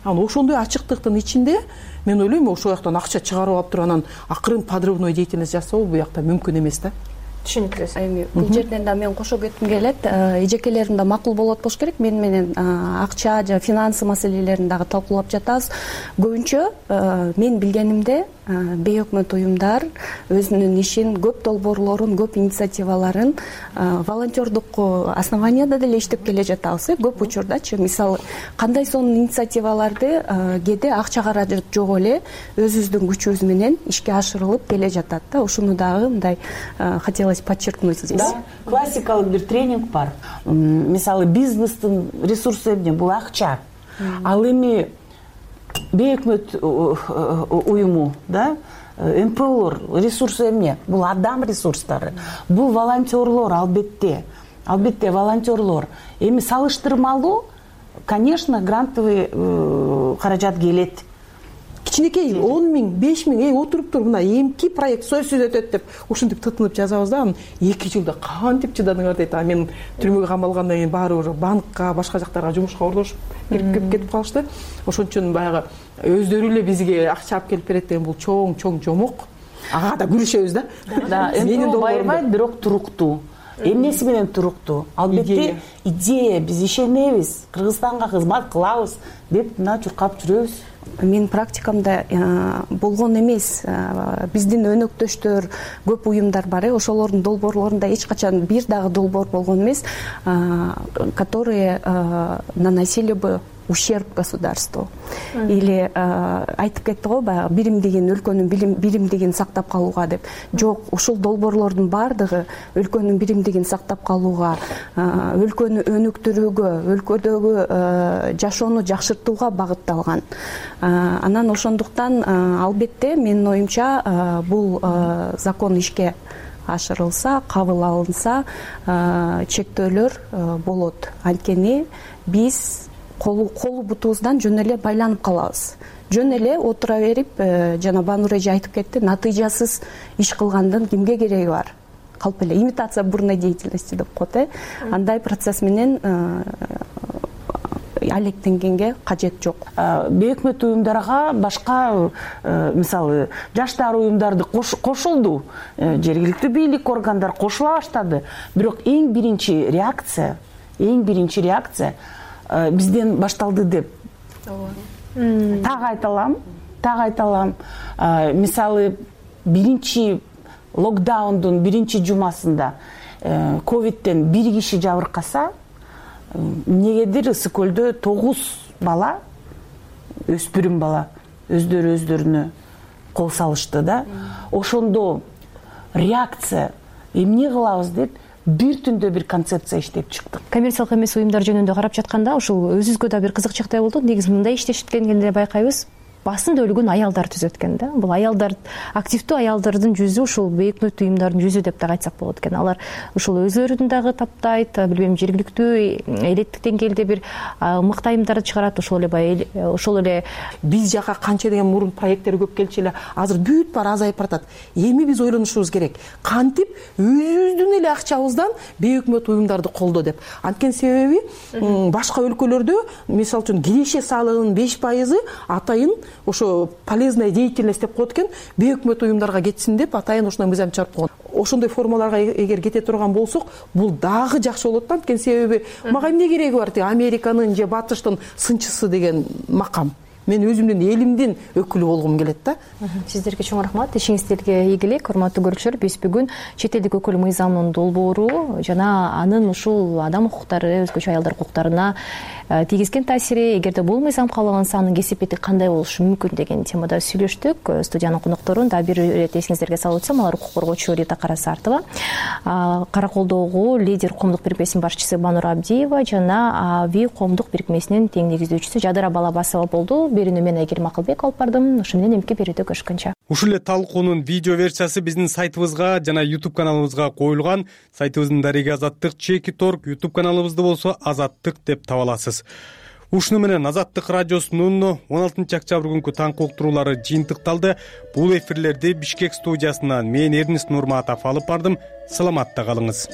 Анан ошондой ачыктыктын ичинде мен ойлойм, ошол жактан акча чыгарып алып туруп анан акырын подрывной деятельность жасоо бул жакта мүмкүн эмес да.
Түшүнүктүү. Бул жерден да мен кошо кетким келет. Эжекелерим да макул болот болуш керек. Мен менен акча жана финансы маселелерин дагы талкуулап жатабыз. Көбүнчө мен билгенимде бейөкмөт уюмдар өзүнүн ишин, көп долбоорлорун, көп инициативаларын волонтердук основанияда деле иштеп келе жатабыз. Көп учурдачы, мисалы кандай сонун инициативаларды кээде акча каражат жок эле өзүбүздүн күчүбүз менен ишке ашырылып келе жатат да. Ушуну дагы мындай хотелось подчеркнуть здесь.
Да, классикалык бир тренинг бар. Мисалы бизнестин ресурсу эмне? Бул акча. Ал эми бейөкмөт уюму, да, МПОлор ресурсу эмне? Бул адам ресурстары. Бул волонтерлор, албетте волонтерлор. Эми салыштырмалуу, конечно, грантовый каражат келет.
Кичинекей 10 000, 5 000 отуруп туруп мына эмки проект сөзсүз өтөт деп ушинтип тытынып жазабыз да, анан 2 жылда кантип чыдадыңар дейт. А мен түрмөгө камалгандан кийин баары уже банкка, башка жактарга жумушка ордошуп кетип калышты. Ошон үчүн баягы өздөрү эле бизге акча алып келип берет деген бул чоң жомок. Ага да күрөшөбүз да.
Менин байырбайт, бирок туруктуу. Эмнеси менен туруктуу? Албетте идея, биз ишенебиз, Кыргызстанга кызмат кылабыз деп мына чуркап жүрөбүз.
Менин практикамда болгон эмес, биздин өнөктөштөр көп уюмдар бар, ошолордун долбоорлорунда эч качан бир дагы долбоор болгон эмес, которые наносили бы ущерб государству. Или айтып кетти го баягы биримдигин, өлкөнүн биримдигин сактап калууга деп. Жок, ушул долбоорлордун баардыгы өлкөнүн биримдигин сактап калууга, өлкөнү өнүктүрүүгө, өлкөдөгү жашоону жакшыртууга багытталган. Анан ошондуктан албетте менин оюмча бул закон ишке ашырылса, кабыл алынса, чектөөлөр болот. Анткени биз колу бутубуздан жөн эле байланып калабыз. Жөн эле отура берип, жана Банур эже айтып кетти, натыйжасыз иш кылгандын кимге кереги бар? Калп эле имитация бурной деятельности деп коет. Андай процесс менен алектенгенге кажет жок.
Бейөкмөт уюмдарга башка мисалы жаштар уюмдарды кошулду, жергиликтүү бийлик органдар кошула баштады. Бирок эң биринчи реакция бизден башталды деп. Так айталам. Мисалы биринчи локдаундун биринчи жумасында ковидтен бир киши жабыркаса, эмнегедир Ысык көлдө 9 бала, өспүрүм бала өздөрүнө кол салышты да. Ошондо реакция эмне кылабыз деп бир түндө бир концепция иштеп чыктык.
Коммерциялык эмес уюмдар жөнүндө карап жатканда ушул өзүбүзгө да бир кызыкчактай болду. Негизи мындай иштешкенде байкайбыз, басым бөлүгүн аялдар түзөт экен да. Бул аялдар, активдүү аялдардын жүзү ушул бейөкмөт уюмдардын жүзү деп да айтсак болот экен. Алар ушул өзүлөрүн дагы таптайт, билбейм, жергиликтүү элеттик деңгээлде бир мыкты айымдарды чыгарат. Ошол эле
биз жака канча деген мурун проекттер көп келчү эле, азыр бүт баары азайып баратат. Эми биз ойлонушубуз керек. Кантип өзүбүздүн эле акчабыздан бейөкмөт уюмдарды колдоо деп. Анткени себеби башка өлкөлөрдө, мисалы үчүн, киреше салыгынын 5% атайын ошо полезная деятельность деп коет экен, бейөкмөт уюмдарга кетсин деп атайын ушундай мыйзам чыгарып койгон. Ошондой формаларга эгер кете турган болсок, бул дагы жакшы болот да. Анткени себеби мага эмне кереги бар тиги Американын же Батыштын сынчысы деген макам. Мен өзүмдүн элимдин өкүлү болгум келет да.
Сиздерге чоң рахмат. Ишиңиздерге ийгилик, урматтуу көрүүчүлөр. Биз бүгүн чет элдик өкүл мыйзамынын долбоору жана анын ушул адам укуктары, өзгөчө аялдар укуктарына тийгизген таасири, эгерде бул мыйзам кабыл алынса, анын кесипети кандай болушу мүмкүн деген темада сүйлөштүк. Студиянын конокторун да бир ирет эсиңиздерге салып өтсөм, алар укук коргоочу Рита Карасартова, Караколдогу лидер коомдук бирикмесинин башчысы Банур Абдиева жана АВИ коомдук бирикмесинин тең негиздөөчүсү Жадыра Балабасова болду. Берүүнү мен Айгерим Акылбек алып бардым. Ошо менен эмки берүүдө көрүшкөнчө.
Ушул эле талкуунун видео версиясы биздин сайтыбызга жана YouTube каналыбызга коюлган. Сайтыбыздын дареги Азаттык.org, YouTube каналыбызды болсо Азаттык деп таба аласыз. Ушуну менен Азаттык радиосунун 16 октябрь күнкү таңкы уктуруулары жыйынтыкталды. Бул эфирлерди Бишкек студиясынан мен Эрнест Нурматов алып бардым. Саламатта калыңыз.